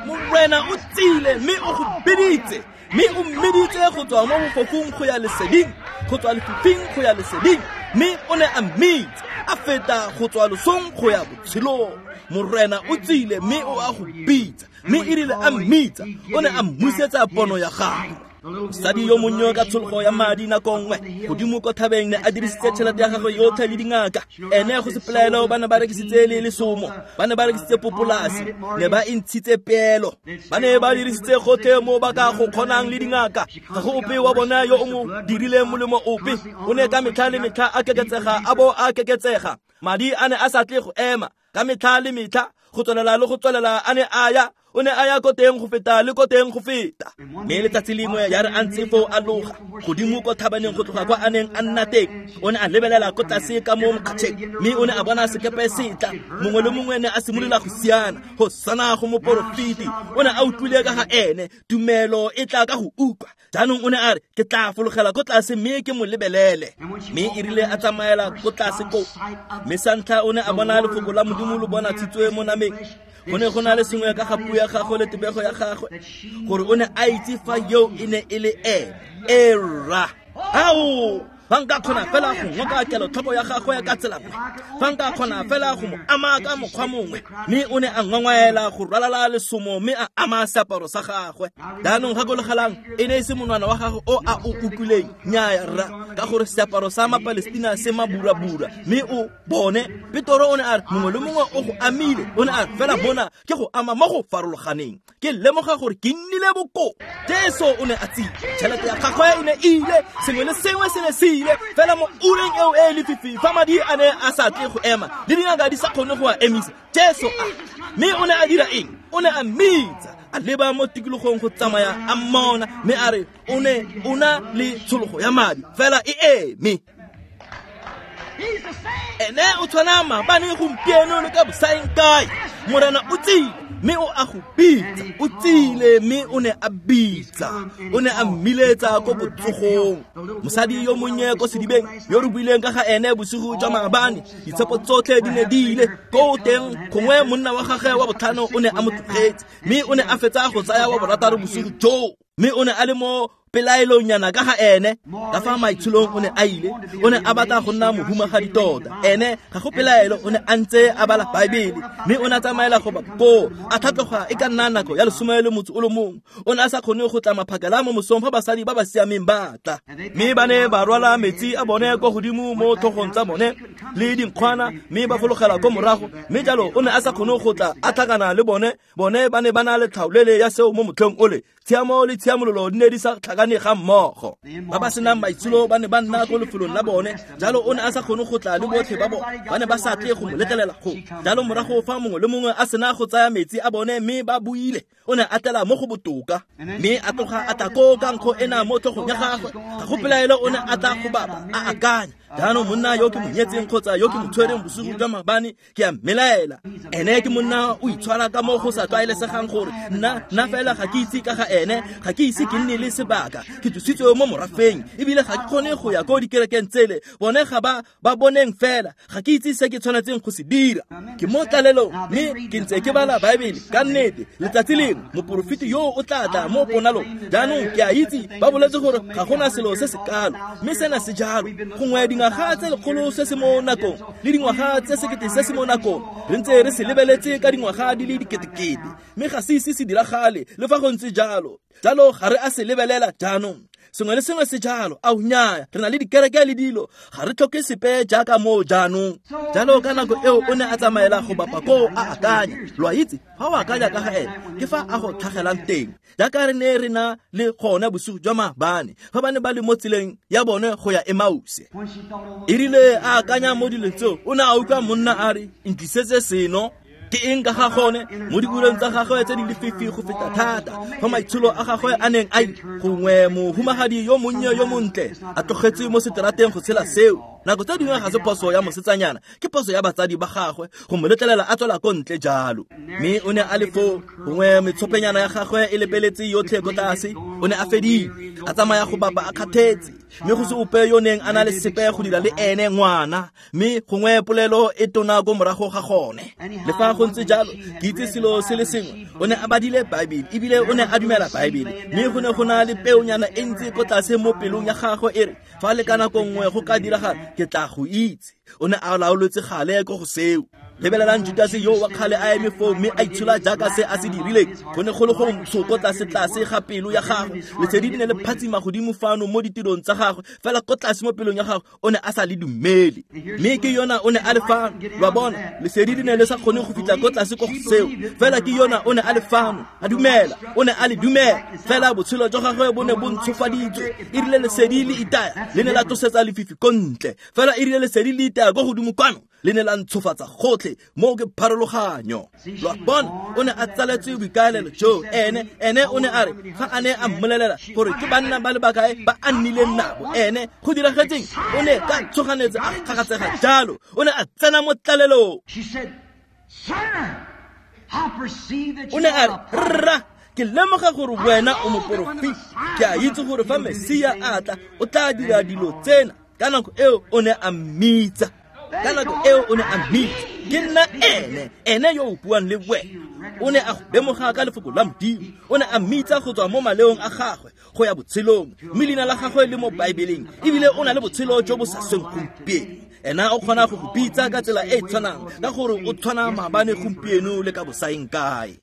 Morena o tsile mme o go biditse, mme o mmiditse go tswa mo bofofung go ya leseding, go tswa lefifing go ya leseding, mme o ne a mmitsa, a feta go tswa losong go ya botshelong. Morena o tsile mme o a go bitsa, mme e rile a mmitsa, o ne a mmusetsa pono ya gagwe. Mosadi yo monnye ka tshologo ya madi nako nngwe godimo ko thabeng ne a dirisitse tšhelete ya gagwe yotlhe le dingaka. Ene go se pelaelo ba ne ba rekisitse le lesomo, ba ne ba rekisitse popolasi, ne ba e ntshitse peelo, ba ne ba dirisitse gotlhe mo ba ka go kgonang le dingaka. Ga go ope wa bona yo o mo dirileng molemo ope. O ne ka metlha le metlha a keketsega a bo a keketsega. Madi a ne a sa tle go ema, ka metlha le metlha, go tswelela le go tswelela a ne a ya. O ne a ya ko teng go feta le ko teng go feta. Mme letsatsi lengwe ya re a ntse foo a loga godimo ko thabaneng go tloga kwa a neng a nna teng, o ne a lebelela ko tlase ka mo mokgatšheng, mme o ne a bona sekepe se tla. Mongwe le mongwe ne a simolola go siana, go sana go moporofeti. O ne a utlwile ka ga ene, tumelo e tla ka go utlwa. Jaanong o ne a re, ke tla fologela ko tlase mme ke mo lebelele. Mme e rile a tsamaela ko tlase koo, mme sa ntlha o ne a bona lefoko la Modimo lo bonatshitswe mo nameng. Go ne go na le sengwe ka ga puo ya gagwe le tebego ya gagwe, gore o ne a itse fa eo e ne e le ene. Era ao, fa nka kgona fela go ngoka kelotlhoko ya gagwe ka tsela nngwe, fa nka kgona fela go mo ama ka mokgwa mongwe. Mme o ne a ngongwaela go rwalala lesomo mme a ama seaparo sa gagwe. Jaanong gakologelang, e ne e se monwana wa gagwe o a o utlwileng, nnyaya rra, ka gore seaparo sa Mapalestina se maburabura. Mme o bone Petoro o ne a re, mongwe le mongwe o go amile. O ne a re, fela bona ke go ama mo go farologaneng, ke lemoga gore ke nnile bokoa. Jesu o ne a tsile, tšhelete ya gagwe e ne e ile, sengwe le sengwe se ne se ile, fela mo ureng eo e lefifi fa madi a ne a sa tle go ema le dingaka di sa kgone go a emisa, Jesu a. Mme o ne a dira eng? O ne a mmitsa, a leba mo tikologong go tsamaya a mmona, mme a re o ne o na le tshologo ya madi, fela e eme. Ene o tshwana maabane, gompieno le ka bosaeng kae. Morena o tsile mme o a go bitsa, o tsile mme o ne a bitsa, o ne a mmiletsa ko botsogong. Mosadi yo monnye ko sedibeng yo re buileng ka ga ene bosigo jwa maabane, ditshepo tsotlhe di ne di ile ko teng. Gongwe monna wa gagwe wa botlhano o ne a mo tlogetse, mme o ne a fetsa go tsaya wa borataro bosigo joo, mme o ne a le mo pelaelonyana ka ga ene. Ka fa maitsholong o ne a ile, o ne a batla go nna mohumagadi tota. Ene ga go pelaelo o ne a ntse a bala Baebele, mme o ne a tsamaela go ba koo, a tlhatloga e ka nna nako ya lesome le motso o le mongwe. O ne a sa kgone go tla maphakela mo mosong fa basadi ba ba siameng ba tla, mme ba ne ba rwala metsi a bone ko godimo mo tlhogong tsa bone le dinkgwana, mme ba fologela ko morago. Mme jalo o ne a sa kgone go tla a tlhakana le bone. Bone ba ne ba na le tlhaolele ya seo mo motlhong ole. Tshiamo le tshiamololo di ne di sa tlhakane ga mmogo. Ba ba senang maitsholo ba ne ba nna ko lefelong la bone, jalo o ne a sa kgone go tla le botlhe ba bone, ba ne ba sa tle go mo letlelela go. Jalo morago fa mongwe le mongwe a sena go tsaya metsi a bone mme ba buile, o ne a tlela mo go botoka, mme a tloga a tla koo ka nkgo ena mo tlhogong ya gagwe. Ga go pelaelo o ne a tla go bapa a akanya, jaanong monna yo ke mo nyetseng kgotsa yo ke mo tshwereng bosigo jwa maabane, ke a mmelaela. Ene ke monna o itshwara ka mo go sa tlwaelesegang gore nna nna fela ga ke itse ka ga ene, ga ke ise ke nne le sebaka, ke tsositswe mo morafeng, ebile ga ke kgone go ya ko dikerekeng tsele. Bone ga ba ba boneng fela, ga ke itse se ke tshwanetseng go se dira. Ke mo tlalelong mme ke ntse ke bala Baebele. Ka nnete letsatsi lengwe moporofeti yo o tla tla mo ponalong. Jaanong ke a itse ba boletse gore ga gona selo se se kalo, mme sena se jalo. Gongwe dingwaga tse lekgolo se se mo nakong le dingwaga tse sekete se se mo nakong, re ntse re se lebeletse ka dingwaga di le diketekete, mme ga se ise se diragale le fa go ntse jalo. Jalo ga re a se lebelela jaanong. Sengwe le sengwe se jalo. Ao nnyaya, re na le dikereke le dilo, ga re tlhoke sepe jaaka moo jaanong. Jalo ka nako eo o ne a tsamaela go bapa koo a akanya. Lo a itse, fa o akanya ka ga ene, ke fa a go tlhagelang teng. Jaaka re ne re na le gone bosigo jwa maabane, fa ba ne ba le mo tseleng ya bone go ya Emause. E rile a akanya mo dilong tseo, o ne a utlwa monna a re, ntlisetse seno. Ke eng ka ga gone mo diureng tsa gagwe tse di lefifi go feta thata, fa maitsholo a gagwe a neng a gongwe mohumagadi yo monnye yo montle a tlogetswe mo seterateng go tshela seo. Nako tse dingwe ga se phoso ya mosetsanyana, ke phoso ya batsadi ba gagwe go mo letlelela a tswela ko ntle jalo. Mme o ne a le foo, gongwe metshopenyana ya gagwe e lepeletse yotlhe ko tlase, o ne a fedile, a tsamaya go bapa a kgathetse, mme go se ope yo neng a na le sepe go dira le ene ngwana, mme gongwe polelo e tona ko morago ga gone. Le fa go ntse jalo, ke itse selo se le sengwe, o ne a badile Baebele, ebile o ne a dumela Baebele, mme go ne go na le peonyana e ntse ko tlase mo pelong ya gagwe e re, fa le ka nako nngwe go ka diragala, ke tla go itse. O ne a laoletse gale ko go seo. Lebelelang Judase yo wa kgale a eme foo mme a itshola jaaka se a se dirileng. Go ne go le go ntsho ko tlase tlase ga pelo ya gagwe. Lesedi le ne le phatsima godimo fano mo ditirong tsa gagwe, fela ko tlase mo pelong ya gagwe o ne a sa le dumele. Mme ke yona o ne a le fano, lwa bona, lesedi le ne le sa kgone go fitlha ko tlase ko go seo, fela ke yona o ne a le fano, a dumela, o ne a le dumela, fela botshelo jwa gagwe bo ne bo ntshofaditswe. E rile lesedi le itaya, le ne la tlosetsa lefifi ko ntle, fela e rile lesedi le itaya ko godimo kwano, le ne la ntshofatsa gotlhe. Moo ke pharologanyo. Lwa bona, o ne a tsaletswe boikaelelo jo. Ene ene o ne a re fa a ne a mmolelela gore ke banna ba le bakae ba a nnileng nabo, ene go diragetseng o ne ka tshoganetse a kgakatsega jalo, o ne a tsena mo tlalelong. O ne a re, rra, ke lemoga gore wena o moporofeti, ke a itse gore fa Mesia a tla o tla dira dilo tsena. Ka nako eo o ne a mmitsa, ka nako eo o ne a mmitsa, ke nna ene, ene yo o buang le wena. O ne a go lemoga ka lefoko la Modimo, o ne a mmitsa go tswa mo maleong a gagwe go ya botshelong, mme leina la gagwe le mo Baebeleng, ebile o na le botshelo jo bo sa sweng gompieno. Ena o kgona go go bitsa ka tsela e e tshwanang, ka gore o tshwana maabane, gompieno le ka bosaeng kae.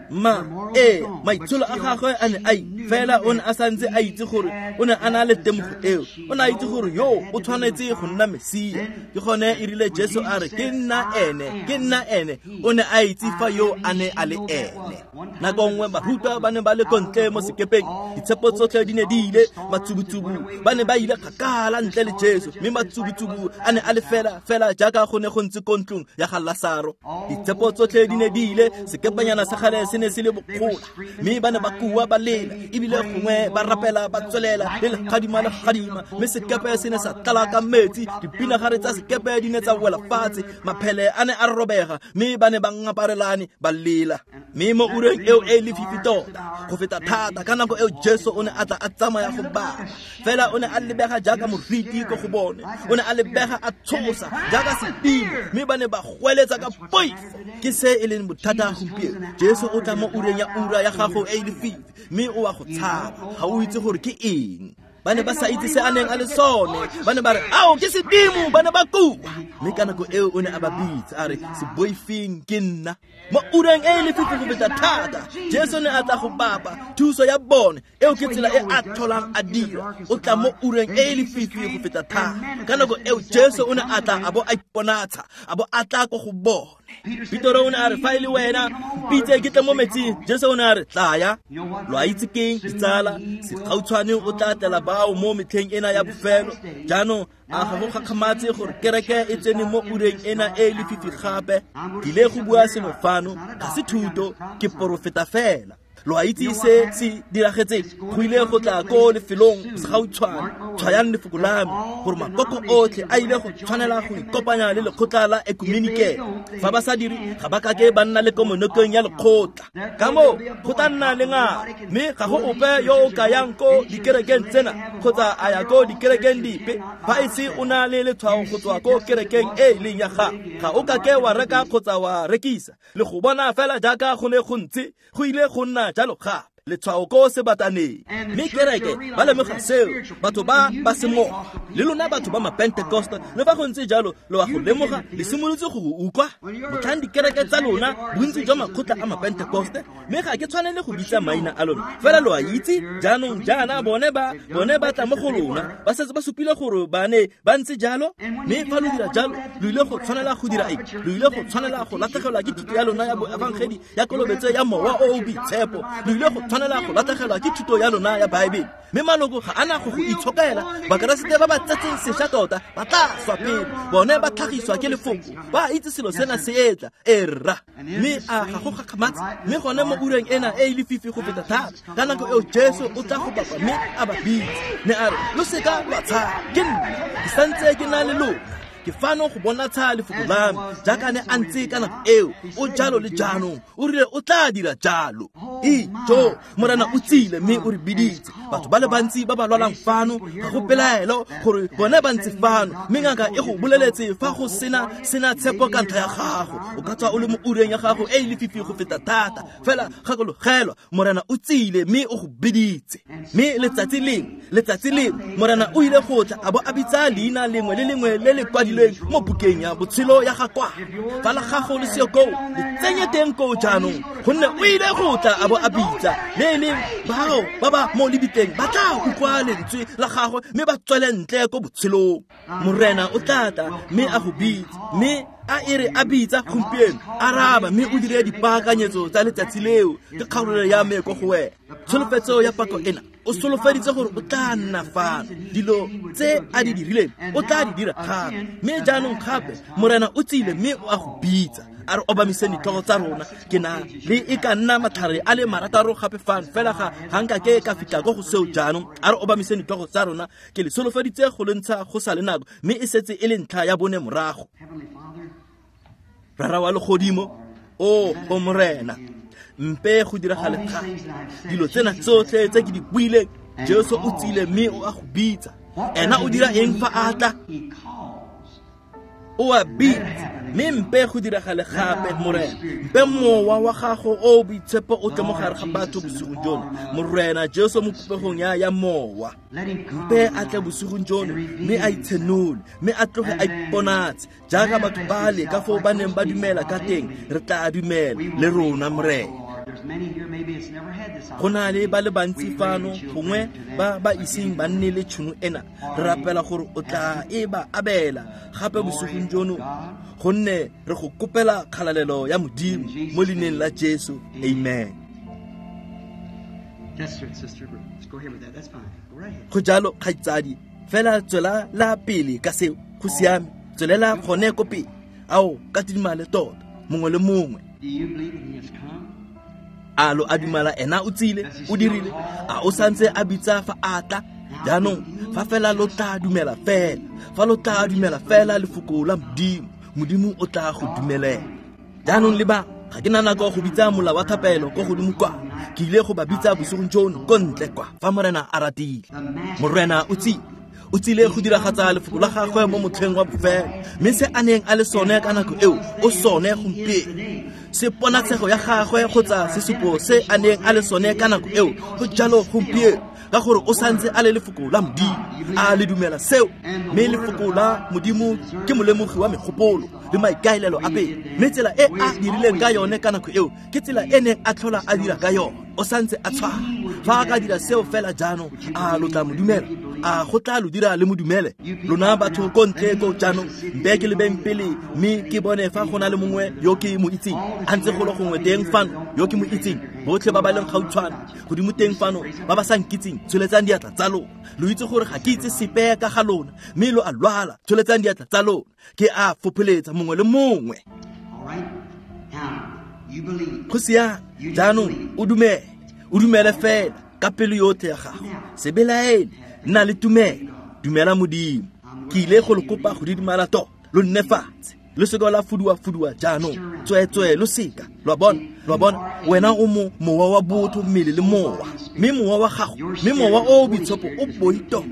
Ma ee, maitsholo a gagwe a ne a fela o ne a santse a itse gore o ne a na le temogo eo, o ne a itse gore yo o tshwanetse go nna Mesia. Ke gone e rile Jesu a re, ke nna ene, ke nna ene, o ne a itse fa yo a ne a le ene. Nako nngwe barutwa ba ne ba le ko ntle mo sekepeng, ditshepo tsotlhe di ne di ile, matsubutsubu ba ne ba ile kgakala ntle le Jesu, mme matsubutsubu a ne a le fela fela jaaka go ne go ntse ko ntlong ya ga Lasaro. Ditshepo tsotlhe di ne di ile, sekepanyana sa gale se ne se le bokgola, mme ba ne ba kua ba lela, ebile gongwe ba rapela ba tswelela le legadima le gadima, mme sekepe se ne sa tlala ka metsi, dipinagare tsa sekepe di ne tsa wela fatshe, maphele a ne a robega, mme ba ne ba ngaparelane ba lela. Mme mo ureng eo e lefifi tota go feta thata, ka nako eo Jesu o ne a tla a tsamaya go bapa, fela o ne a lebega jaaka moriti ko go bone, o ne a lebega a tshosa jaaka sedimo, mme ba ne ba goeletsa ka poifo. Ke se e leng bothata gompieno. Jesu o tla mo ureng ya ura ya gago e lefifi, mme o a go tshaba, ga o itse gore ke eng. Ba ne ba sa itse se a neng a le sone, ba ne ba re, ao ke sedimo, ba ne ba kua. Mme ka nako eo o ne a ba bitsa a re, se boifeng, ke nna. Mo ureng e lefifi go feta thata, Jesu ne a tla go bapa thuso ya bone. Eo ke tsela e a tlholang a dira, o tla mo ureng e lefifi go feta thata. Ka nako eo Jesu o ne a tla a bo a iponatsha, a bo a tla ko go bone. Petero o ne a re, fa e le wena, mpitse ke tle mo metsing. Jesu o ne a re, tlaya. Lo a itse keng, ditsala, segautshwane o tla tlela bao mo metlheng ena ya bofelo. Jaanong a ga go gakgamatse gore kereke e tsene mo ureng ena e lefifi gape. Ke ile go bua sengwe fano, ga se thuto, ke porofeta fela. Lo a itse se se diragetseng, go ile go tla ko lefelong segautshwane. Tshwayang lefoko la me, gore makoko otlhe a ile go tshwanela go ikopanya le lekgotla la ekumenikele. Fa ba sa dire, ga ba kake ba nna le komonokeng ya lekgotla. Ka moo go tla nna le ngaka, mme ga go ope yo o ka yang ko dikerekeng tsena kgotsa a ya ko dikerekeng dipe fa e se o na le letshwao go tswa ko kerekeng e e leng ya gago. Ga o kake wa reka kgotsa wa rekisa, le go bona fela jaaka go ne go ntse, go ile go nna jalo gape. Letshwao ko sebataneng. Mme kereke ba lemoga seo, batho ba ba semoga le lona batho ba mapentecosta, le fa go ntse jalo lo a go lemoga, le simolotse go go utlwa. Motlhang dikereke tsa lona, bontsi jwa makgotla a mapentecoste, mme ga ke tshwanele go bitsa maina a lona, fela lo a itse jaanong jaana bone ba bone ba tla mo go lona, ba setse ba supile gore ba ne ba ntse jalo. Mme fa lo dira jalo, lo ile go tshwanela go dira eng? Lo ile go tshwanela go latlhegelwa ke thuto ya lona ya boefangedi ya kolobetso ya mowa o o boitshepo. Lo ile go tshwanela go latlhegelwa ke thuto ya lona ya Baebele. Mme maloko ga ana go go itshokela. Bakeresete ba ba tsetseng sešwa tota ba tla swa pele. Bone ba tlhagiswa ke lefoko. Ba itse selo sena se etla. Erra. Mme a ga go gakgamatse. Mme gone mo ureng ena e e lefifi go feta thata. Ka nako eo Jesu o tla go bapa mme a ba bitse. Ne a re, lo seka lwa tshaba. Ke nna. Ke santse ke na le lona. Ke fano go bonatsha lefoko la me jaaka ne a ntse ka nako eo. O jalo le jaanong. O rile o tla dira jalo. Ijo, Morena o tsile mme o re biditse. Batho ba le bantsi ba ba lwalang fano ga go pelaelo gore bone ba ntse fano. Mme ngaka e go boleletse fa go sena sena tshepo ka ntlha ya gago. O ka tswa o le mo ureng ya gago e e lefifi go feta thata. Fela gakologelwa, Morena o tsile mme o go biditse. Mme letsatsi lengwe, letsatsi lengwe Morena o ile go tla a bo a bitsa leina lengwe le lengwe le le kwadilweng mo bukeng ya botshelo ya gagwe. Fa la gago le seo koo, le tsenye teng koo jaanong, gonne o ile go tla a bo a bitsa. Le e leng bao ba ba mo lebitleng ba tla utlwa lentswe la gagwe mme ba tswele ntle ko botshelong. Morena o tla tla mme a go bitse, mme a e re a bitsa gompieno, araba mme o dire dipaakanyetso tsa letsatsi leo. Ke kgakololo ya me ko go wena. Tsholofetso ya pako ena, o solofeditse gore o tla nna fano. Dilo tse a di dirileng o tla di dira gape. Mme jaanong gape Morena o tsile mme o a go bitsa. A re obamiseng ditlhogo tsa rona. Ke na le e ka nna matlhare a le marataro gape fano, fela ga ga nka ke ka fitlha ko go seo jaanong. A re obamiseng ditlhogo tsa rona. Ke le solofeditse go le ntsha go sa le nako, mme e setse e le ntlha ya bone morago. Rara wa legodimo, o o Morena, mpe go diragale thata. Dilo tsena tsotlhe tse ke di buileng, Jesu o tsile mme o a go bitsa. Ena o dira eng fa a tla? O a bitsa. Mme mpe go diragale gape, Morena. Mpe mowa wa gago o boitshepo o tle mo gare ga batho bosigong jono. Morena Jesu mo popegong ya ya mowa. Mpe a tle bosigong jono mme a itshenole, mme a tloge a iponatse jaaka batho ba le ka foo ba neng ba dumela ka teng. Re tla dumela le rona, Morena. Go na le ba le bantsi fano gongwe ba ba iseng ba nne le tšhono ena. Re rapela gore o tla e ba abela gape bosigong jono, gonne re go kopela kgalalelo ya Modimo mo leineng la Jesu. Amen. Go jalo, kgaitsadi, fela tswela la pele ka seo. Go siame, tswelela gone ko pele. Ao, ka tidimale tota, mongwe le mongwe. A lo a dumela ena o tsile, o dirile. A o santse a bitsa fa a tla. Jaanong fa fela lo tla dumela fela, fa lo tla dumela fela lefoko la Modimo, Modimo o tla go dumelela. Jaanong le ba, ga ke na nako go bitsa mola wa thapelo ko godimo kwa. Ke ile go ba bitsa bosigong jono ko ntle kwa, fa Morena a ratile. Morena o tsile, o tsile go diragatsa lefoko la gagwe mo motlheng wa bofelo. Mme se a neng a le sone ka nako eo, o sone gompieno. Se ponatshego ya gagwe kgotsa sesupo se a neng a le sone ka nako eo, go jalo gompieno, ka gore o santse a le lefoko la Modimo. A le dumela seo. Mme lefoko la Modimo ke molemogi wa megopolo le maikaelelo a pele. Mme tsela e a dirileng ka yone ka nako eo ke tsela e neng a tlhola a dira ka yone. O santse a tshwana. Fa a ka dira seo fela jaanong, a lo tla mo dumela? A go tla lo dira le mo dumele? Lona batho ko ntle ko jaanong, mpe ke lebeng pele mme ke bone fa go na le mongwe yo ke mo itseng. A ntse golo gongwe teng fano yo ke mo itseng. Botlhe ba ba leng gautshwane godimo teng fano ba ba sa nkitseng, tsholetsang diatla tsa lona. Lo itse gore ga ke itse sepe ka ga lona, mme lo a lwala. Tsholetsang diatla tsa lona. Ke a fopholetsa mongwe le mongwe. Go siame, jaanong o dumele, o dumele fela ka pelo yotlhe ya gago. Se belaele, nna le tumelo, dumela Modimo. Ke ile go le kopa go didimala tota, lo nne fatshe. Lo seka la fuduwa-fuduwa jaanong, tsweetswee lo seka. Lo a bona, lo a bona, wena o mo mowa wa botho, mmele le mowa. Mme mowa wa gago, mme mowa o o boitshepo o boi tota.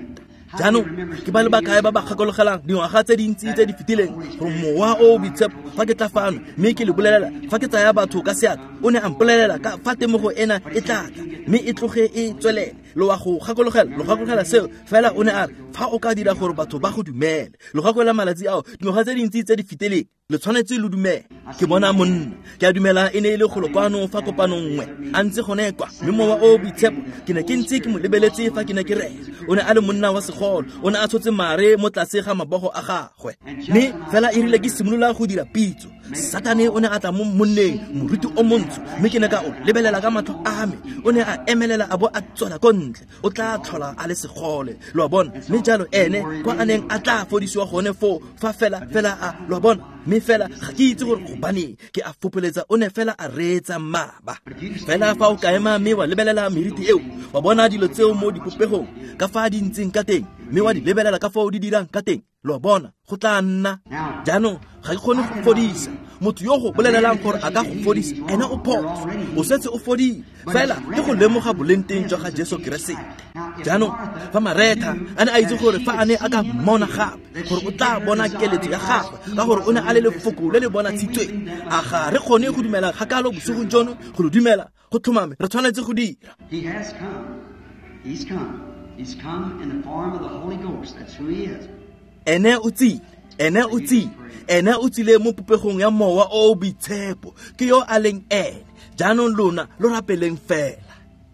Jaanong ke ba le bakae ba ba gakologelang dingwaga tse dintsi tse di fetileng gore mowa o o boitshepo fa ke tla fano mme ke le bolelela fa ke tsaya batho ka seatla, o ne a mpolelela ka fa temogo ena e tla tla mme e tloge e tswelele. Lo wa go gakologela, lo gakologela seo fela. O ne a re fa o ka dira gore batho ba go dumele. Lo gakolola malatsi ao, dingwaga tse dintsi tse di fetileng, le tshwanetse lo dumele. Ke bona monna, ke a dumela e ne e le golo kwano fa kopanong nngwe, a ntse gone kwa. Mme mowa o boitshepo ke ne ke ntse ke mo lebeletse fa ke ne ke rera. O ne a le monna wa segolo, o ne a tshotse mare mo tlase ga mabogo a gagwe. Mme fela e rile ke simolola go dira pitso, Satane o ne a tla mo monneng, moruti o montsho, mme ke ne ka o lebelela ka matlho a me. O ne a emelela a bo a tswela ko ntle. O tla tlhola a le segole, lo a bona. Mme jalo ene kwa a neng a tla fodisiwa gone foo, fa fela fela a, lo a bona. Mme fela ga ke itse gore gobaneng ke a fopoletsa, o ne fela a reetsa mmaba. Fela fa o ka ema mme wa lebelela meriti eo, wa bona dilo tseo mo dipopegong ka fa di ntseng ka teng, mme wa di lebelela ka fao di dirang ka teng, lo a bona, go tla nna. Jaanong ga ke kgone go fodisa. Motho yo go bolelelang gore a ka go fodisa, ene o phoso, o setse o fodile. Fela ke go lemoga boleng jwa ga Jesu Keresete. Jaanong fa Maretha a ne a itse gore fa a ne a ka mmona gape, gore o tla bona keletso ya gagwe, ka gore o ne a le lefoko le le bonatshitsweng, a ga re kgone go dumela kgakalo bosigong jono? Go lo dumela go tlhomame, re tshwanetse go dira. He has come. He's come. He's come in the form of the Holy Ghost. That's who he is. Ene o tsile, ene o tsile, ene o tsile mo popegong ya Mowa o o Boitshepo. Ke yo a leng ene. Jaanong lona lo rapeleng fela.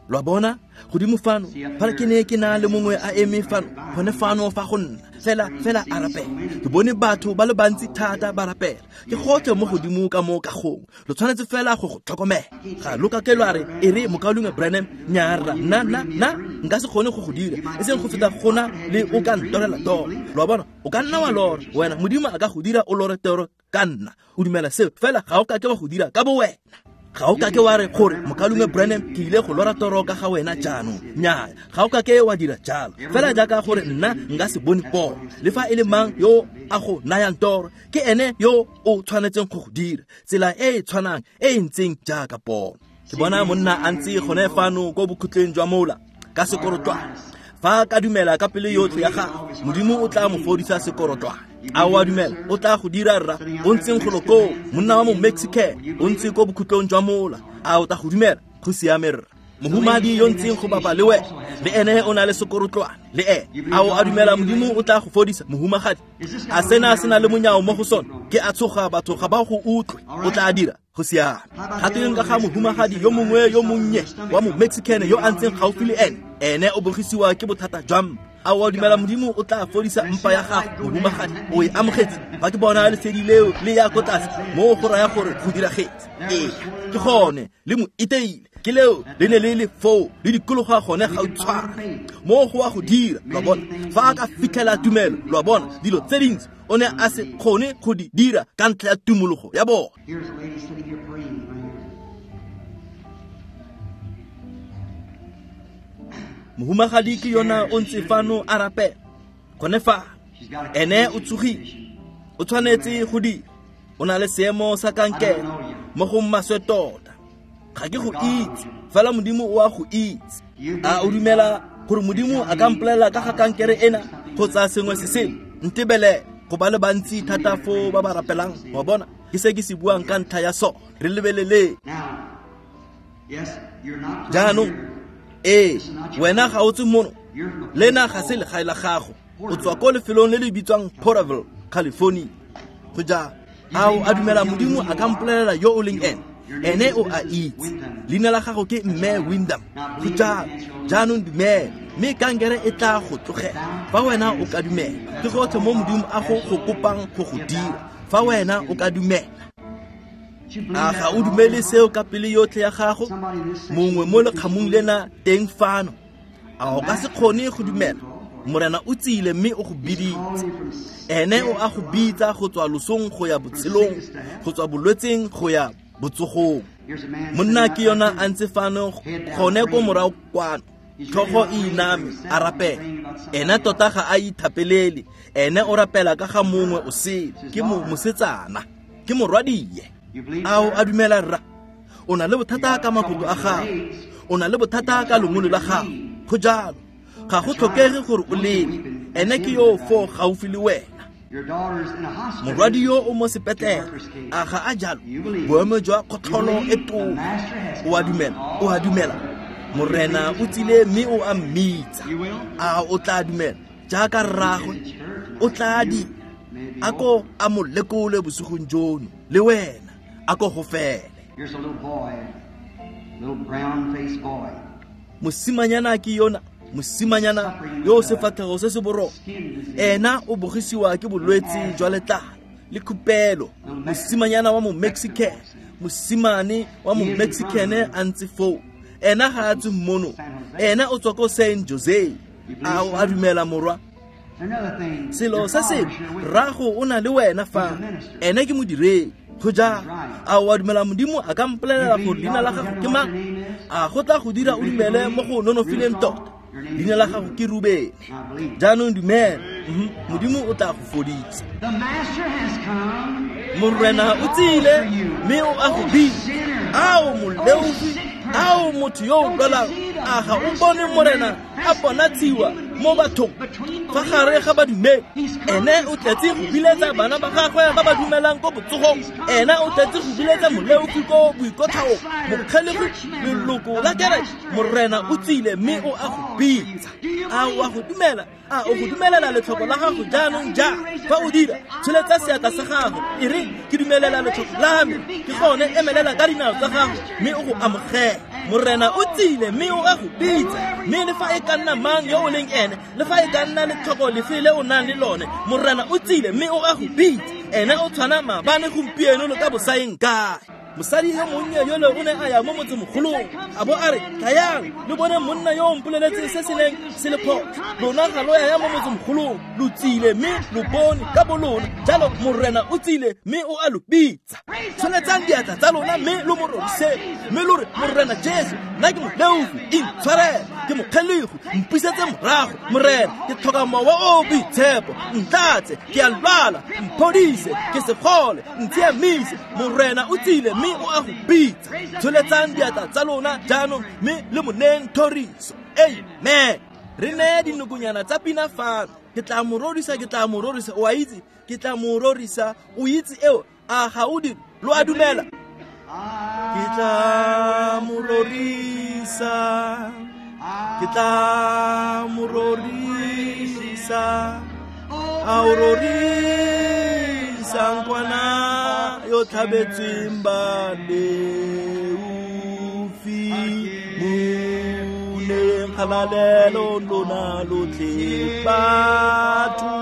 Lo a bona? Godimo fano, fa ke ne ke na le mongwe a eme fano, gone fano fa go nna, fela fela a rapela. Ke bone batho ba le bantsi thata ba rapela. Ke gotlhe mo godimo ka mo kagong. Lo tshwanetse fela go go tlhokomela. Ga lo ka ke lwa re, e re mokaulengwe Branham, nnyaa rra, nna nna nna nka se kgone go go dira, e seng go feta gona le o ka ntorela toro. Lo a bona? O ka nna wa lora, wena Modimo a ka go dira o lore toro ka nna. O dumela seo, fela ga o ka ke wa go dira ka bo wena. Ga o ka ke wa re gore mokaulengwe Branham ke ile go lora toro ka ga wena jaanong. Nnyaa, ga o ka ke wa dira jalo. Fela jaaka gore nna nka se bone pono, le fa e le mang yo a go nayang toro, ke ene yo o tshwanetseng go go dira. Tsela e e tshwanang e e ntseng jaaka pono. Ke bona monna a ntse gone fano ko bokhutleng jwa mola ka sekorotwane. Fa ka dumela ka pelo yotlhe ya gagwe, Modimo o tla mo fodisa sekorotwane. A o a dumela? O tla go dira rra. O ntseng golo koo, monna wa mo Mexican, o ntse ko bokhutlong jwa mola. A o tla go dumela? Go siame rra. Mohumadi yo ntseng go bapa le wena, le ene o na le sekorotlwane, le ene. A o a dumela Modimo o tla go fodisa, mohumagadi? A sena se na le monyao mo go sone? Ke a tshoga batho ga ba go utlwe. O tla dira? Go siame. Gateng ka ga mohumagadi yo mongwe yo monnye wa mo Mexican yo a ntseng gaufi le ene, ene o bogisiwa ke bothata jwa mpa. A o a dumela Modimo o tla fodisa mpa ya gago, mohumagadi? O e amogetse? Fa ke bona lesedi leo le ya ko tlase, mo go raya gore go diragetse. Ee, ke gone le mo iteile. Ke leo le ne le le foo, le dikologa gone gautshwane. Mo go a go dira, lo a bona. Fa a ka fitlhela tumelo, lo a bona, dilo tse dintsi o ne a se kgone go di dira ka ntlha ya tumologo ya bona. Here's a lady sitting here praying right here. Mohumagadi ke yona o ntse fano a rapela. Gone fa, ene o tsogile, o tshwanetse go dira. O na le seemo sa kankere mo go maswe tota. Ga ke go itse, fela Modimo o a go itse. A o dumela gore Modimo a ka mpolelela ka ga kankere ena kgotsa sengwe se sele? Ntebelele, go ba le bantsi thata foo ba ba rapelang. Wa bona, ke se ke se buang ka ntlha ya sone. Re lebeleleng. Now, yes, you're not from Jaanong, here. ee, wena ga o tswe mono, lena ga se legae la gago. O tswa ko lefelong le le bitswang Porterville, California. Go jalo. A o a dumela Modimo a ka mpolelela yo o leng ene? Ene o a itse. Leina la gago ke Mme Windham. Go jalo. Jaanong dumela, mme kankere e tla go tlogela. Fa wena o ka dumela, ke gotlhe mo Modimo a go go kopang go go dira. Fa wena o ka dumela. A ga o dumele seo ka pelo yotlhe ya gago? Mongwe mo lekgamong lena teng fano, a o ka se kgone go dumela? Morena o tsile mme o go biditse. Ene o a go bitsa go tswa losong go ya botshelong, go tswa bolwetseng go ya botsogong. Monna ke yona a ntse fano gone ko morago kwano, tlhogo e iname a rapela. Ene tota ga a ithapelele, ene o rapela ka ga mongwe o sele. Ke mo mosetsana, ke morwadie. A o a dumela rra? O na le bothata ka makoto a gago, o na le bothata ka lengolo la gago. Go jalo. Ga go tlhokege gore o lele. Ene ke yo foo gaufi le wena. Your daughter's in a hospital. Morwadi yo o mo sepetlele, a ga a jalo? Boemo jwa kgotlholo e tona. O a dumela? O a dumela? Morena o tsile mme o a mmitsa. A o tla dumela jaaka rraagwe? O tla dira. A ko a mo lekole bosigong jono, le wena a ko go fele. Here's a little boy, little brown-faced boy. Mosimanyana ke yona, mosimanyana yo o sefatlhego se se boroko. Ena o bogisiwa ke bolwetse jwa letlalo, le khupelo, mosimanyana wa mo Mexican, mosimane wa mo Mexican a ntse foo. Ena ga a tswe mono, ena o tswa ko Saint Jose. A o a dumela morwa? Selo se sengwe, rrago o na le wena fa, ene ke modiredi. Go jang? A o a dumela Modimo a ka mpolelela gore leina la gago ke mang? A go tla go dira o dumele mo go nonofileng tota? Leina la gago ke Rubene. Jaanong dumela, Modimo o tla go fodisa. Morena o tsile mme o a go bitsa. Ao moleofi, ao motho yo o lwalang, a ga o bone Morena a bonatshiwa mo bathong fa gare ga badumedi? Ene o tletse go biletsa bana ba gagwe ba ba dumelang ko botsogong. Ene o tletse go biletsa moleofi ko boikotlhaong, mokgelegi, leloko la kereke. Morena o tsile mme o a go bitsa. A o a go dumela? A o go dumelela letlhoko la gago jaanong jang? Fa o dira, tsholetsa seatla sa gago, e re ke dumelela letlhoko la me. Ke gone emelela ka dinao tsa gago mme o go amogele. Morena o tsile mme o a go bitsa. Mme le fa e ka nna mang yo o leng ene, le fa e ka nna letlhoko lefe le o nang le lone, Morena o tsile mme o a go bitsa. Ene o tshwana maabane, gompieno le ka bosaeng kae. Mosadi yo monnye yole o ne a ya mo motsemogolong, a bo a re, tlayang le bone monna yo o mpoleletseng se se neng se le phoso. Lona ga lo ya mo motsemogolong, lo tsile mme lo bone ka bolona. Jalo Morena o tsile mme o a lo bitsa. Tsholetsang diatla tsa lona mme lo mo rorise, mme lo re, Morena Jesu, nna ke moleofi, intshwarele, ke mokgelegi, mpusetse morago. Morena, ke tlhoka mowa o o boitshepo, ntlatse, ke a lwala, mphodise, ke segole, ntshiamise. Morena o tsile mme o a go bitsa. Tsholetsang diatla tsa lona jaanong mme le mo neeng thoriso. Amen. Re neye dinokonyana tsa pina fano. Ke tla mo rorisa, ke tla mo rorisa. O a itse, ke tla mo rorisa. O itse eo, a ga o dire? Lo a dumela? Ke tla mo rorisa, ke tla mo rorisa, a o rorisa nkwana yo tlhabetsweng baleofi. Mo neyeng kgalalelo lona lotlhe batho,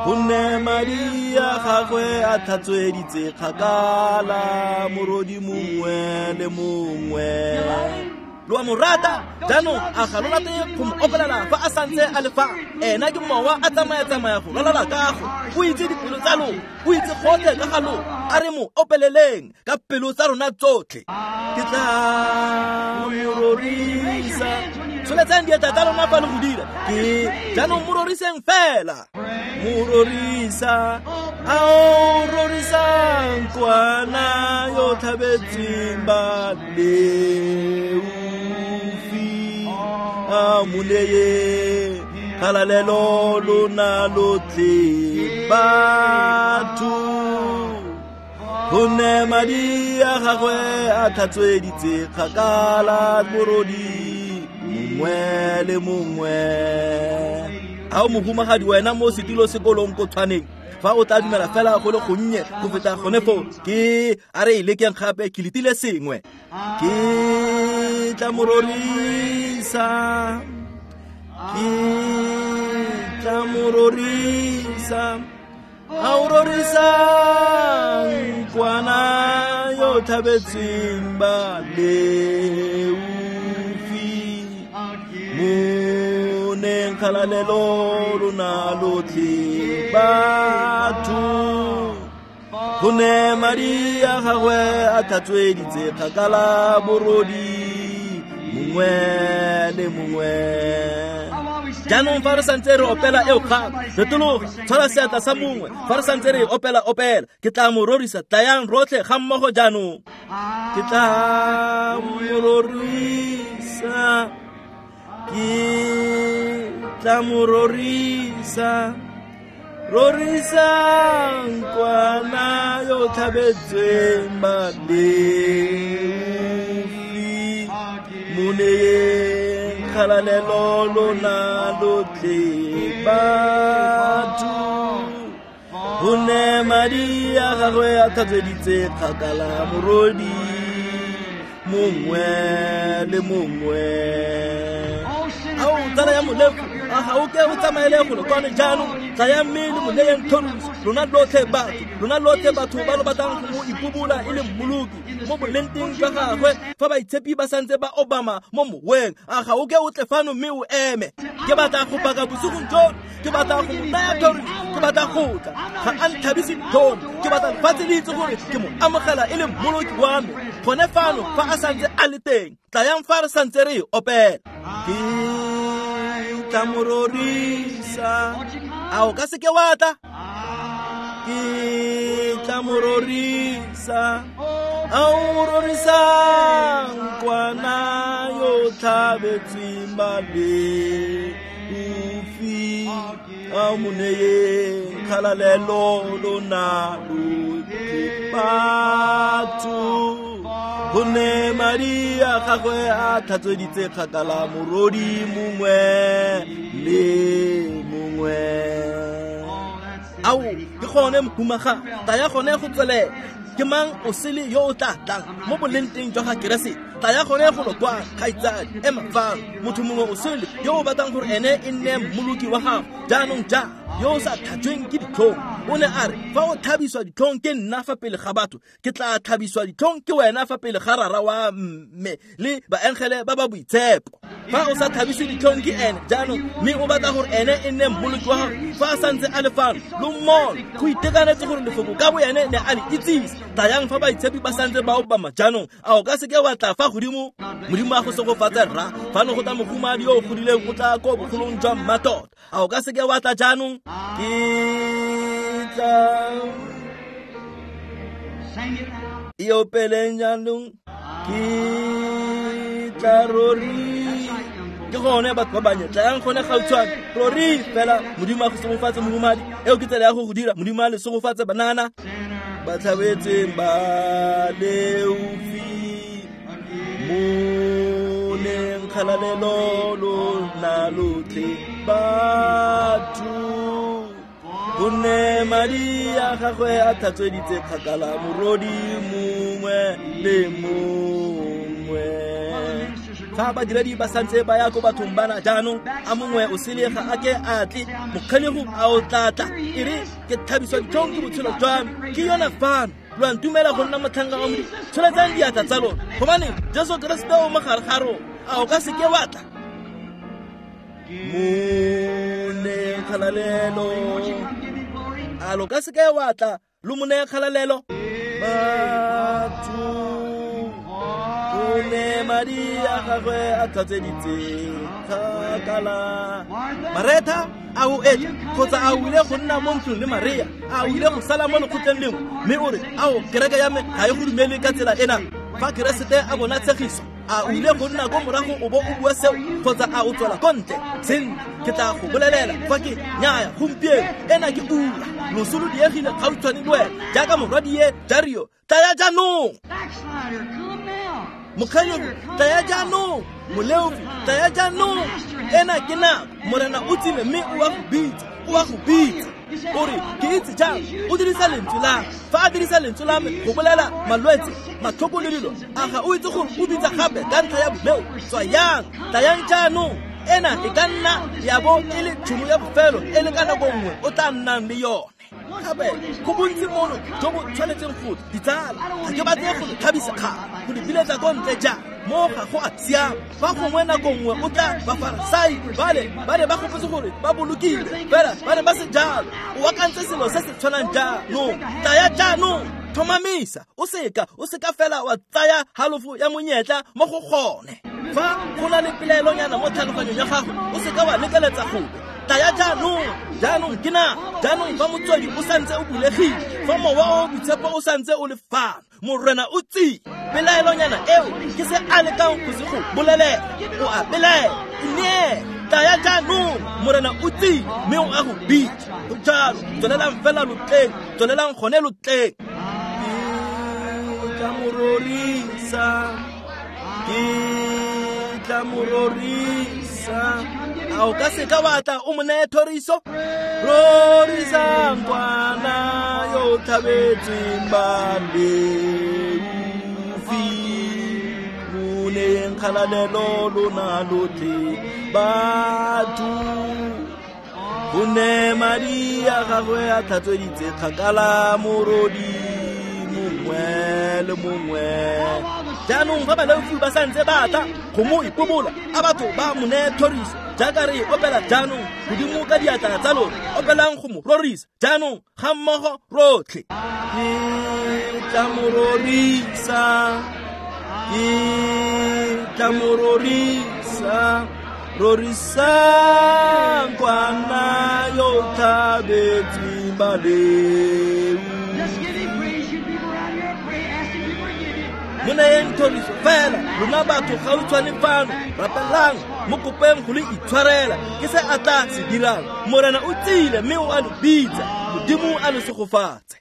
gonne madi a gagwe a tlhatsweditse kgakala morodi mongwe le mongwe. Lo a mo rata jaanong, a ga lo rate go mo opelela fa a santse a le fa? Ena ke mowa a tsamaya-tsamaya go ralala kago. O itse dipelo tsa lona, o itse gotlhe ka ga lona. A re mo opeleleng ka pelo tsa rona tsotlhe. Ke tla mo rorisa. Tsholetsang diatla tsa lona fa le go dira. Ke jaanong mo roriseng fela. Mo rorisa, a o rorisang kwana yo tlhabetsweng baleofi. A mo neye kgalalelo lona lotlhe batho, gonne madi a gagwe a tlhatsweditse kgakala morodi mongwe le mongwe. A o mohumagadi wena mo setilo sekolong ko tshwaneng, fa o tla dumela fela go le gonnye go feta gone foo, ke a re e lekeng gape, ke letile sengwe. Ke tla mo rorisa, ke tla mo rorisa, a o rorisang kwana yo tlhabetsweng baleofi. Mo neyeng kgalalelo lona lotlhe batho, gonne madi a gagwe a tlhatsweditse kgakala borodi mongwe le mongwe. Jaanong fa re santse re opela eo gape, retologa, tshwara seatla sa mongwe. Fa re santse re opela opela, ke tla mo rorisa. Tlayang rotlhe ga mmogo jaanong. Ke tla mo rorisa, ke tla mo rorisa, rorisang kwana yo tlhabetsweng baleofi. Mo neyeng kgalalelo lona lotlhe batho, gonne madi a gagwe a tlhatsweditse kgakala morodi mongwe le mongwe. Ao tsala ya moleofi, A ga o ke o tsamaele golo kwano jaanong? Tlayang mme le mo neyeng thoriso. Lona lotlhe batho, lona lotlhe batho ba lo batlang go mo ipobola e le mmoloki mo bolengteng jwa gagwe, fa baitshepi ba santse ba obama mo moweng, a ga o ke o tle fano mme o eme. Ke batla go paka bosigong jono, ke batla go mo naya thoriso, ke batla go tla. Ga a ntlhabise ditlhong, ke batla lefatshe le itse gore ke mo amogela e le mmoloki wa me. Gone fano fa a santse a le teng, tlayang fa re santse re e opela. Ke tla mo rorisa. A o ka seke wa tla? Ke tla mo rorisa. A o rorisang kwana yo tlhabetsweng baleofi, a o mo neyeng kgalalelo lona lotlhe batho. Gonne madi a gagwe a tlhatsweditse kgakala morodi mongwe le mongwe. Ao, ke gone mohumaga, taya gone go tswelela. Ke mang o sele yo o tla tlang mo bolengteng jwa ga Keresete? Tlaya gone golo kwa, kgaitsadi, ema fano. Motho mongwe o sele yo o batlang gore ene e nne mmoloki wa gago jaanong jang, yo o sa tlhajweng ke ditlhong. O ne a re, fa o tlhabiswa ditlhong ke nna fa pele ga batho, ke tla tlhabiswa ditlhong ke wena fa pele ga rara wa mme le baengele ba ba boitshepo. Fa o sa tlhabiswe ditlhong ke ene jaanong, mme o batla gore ene e nne mmoloki wa gago fa a santse a le fano, lo mmone. Go itekanetse gore lefoko ka bo ene ne a le itsise. Tlayang fa baitshepi ba santse ba obama jaanong. A o ka seke wa tla fa godimo? Modimo a go segofatse rra. Fano go tla mohumadi yo o godileng o tla ko bogolong jwa mmatota. A o ka seke wa tla jaanong? Ke tla e opeleng jaanong. Ke tla rori. Ke gone batho ba bannye, tlayang gone gautshwane. Rori fela. Modimo a go segofatse mohumadi. Eo ke tsela ya go go dira. Modimo a le segofatse banana. Ba tlhabetsweng ba leofi, mo neng kgalalelo lona lotlhe batho. Gonne madi a gagwe a tlhatsweditse kgakala morodi mongwe le mongwe. Fa badiredi ba santse ba ya ko bathong bana jaanong, a mongwe o sele ga a ke a tle, mokgelego a o tla tla. E re ke tlhabiswa ditlhong ke botshelo jwa me, ke yona fano. Lo a ntumela go nna motlhanka wa Modimo? Tsholetsang diatla tsa lona, gobane Jesu Keresete o mo gare ga rona. A o ka seke wa tla? Mo neyeng kgalalelo. A lo ka seke wa tla lo mo neye kgalalelo? Batho, gonne madi a gagwe a tlhatsweditse kgakala. Maretha, a o etla kgotsa a o ile go nna mo ntlong le Maria? A o ile go sala mo lekgotleng lengwe mme o re, ao, kereke ya me ga e go dumele ka tsela ena? Fa Keresete a bona tshegiso, a o ile go nna ko morago o bo o bua seo, kgotsa a o tswela ko ntle? Sentle, ke tla go bolelela fa ke nyaya gompieno, ena ke ura. Loso lo diegile gautshwane le wena jaaka morwadie Dario. Tlaya jaanong. Mokgalego, tlaya jaanong. Moleofi, tlaya jaanong. Ena ke nako. Morena o tsile mme o a go bitsa, o a go bitsa. O re, ke itse jang? O dirisa lentswe la me. Fa a dirisa lentswe la me go bolela malwetse, matlhoko le dilo, a ga o itse gore o bitsa gape ka ntlha ya boleo? Tswayang, tlayang jaanong. Ena e ka nna ya bo e le tšhono ya bofelo e le ka nako nngwe o tla nnang le yone. Gape go bontsi mono jo bo tshwanetseng go ditsala. Ga ke batle go le tlhabisa kgale, go di biletsa ko ntle jang. Mo ga go a siama. Fa gongwe nako nngwe o tla Bafarasai bale ba ne ba gopotse gore ba bolokile, fela ba ne ba se jalo. O akantse selo se se tshwanang jaanong. Tlaya jaanong. Tlhomamisa, o seka o seka fela wa tsaya halofo ya monyetla mo go gone. Fa go na le pelaelonyana mo tlhaloganyong ya gago, o seka wa lekeletsa gope. Tlaya jaanong. Jaanong ke nako. Jaanong fa motswedi o santse o bulegile, fa mowa o boitshepo o santse o le fano, Morena o tsile. Pelaelonyana eo ke se a lekang go se go bolelela. O a belaela. Ineele. Tlaya jaanong. Morena o tsile mme o a go bitsa. Go jalo. Tswelelang fela lo tleng. Tswelelang gone lo tleng. Ke tla mo rorisa. Ke tla mo rorisa. A o ka seka wa tla o mo neye thoriso? Rorisang kwana yo tlhabetsweng baleofi, mo Mo neyeng kgalalelo lona lotlhe batho. Gonne madi a gagwe a tlhatsweditse kgakala morodi mongwe le mongwe. Jaanong fa baleofi ba santse ba tla go mo ipobola, a batho ba mo neye thoriso jaaka re e opela jaanong godimo ka diatla tsa lona, opelang go mo rorisa jaanong ga mmogo rotlhe. Ke tla mo rorisa, ke tla mo rorisa, rorisang kwana yo tlhabetsweng baleu. Just give him praise, you people around here. Pray, ask him to forgive you. Mo neyeng thoriso fela lona batho gautshwane fano, rapelang mo kopeng go le itshwarela, ke se a tla se dirang. Morena o tsile mme o a lo bitsa. Modimo a lo segofatse.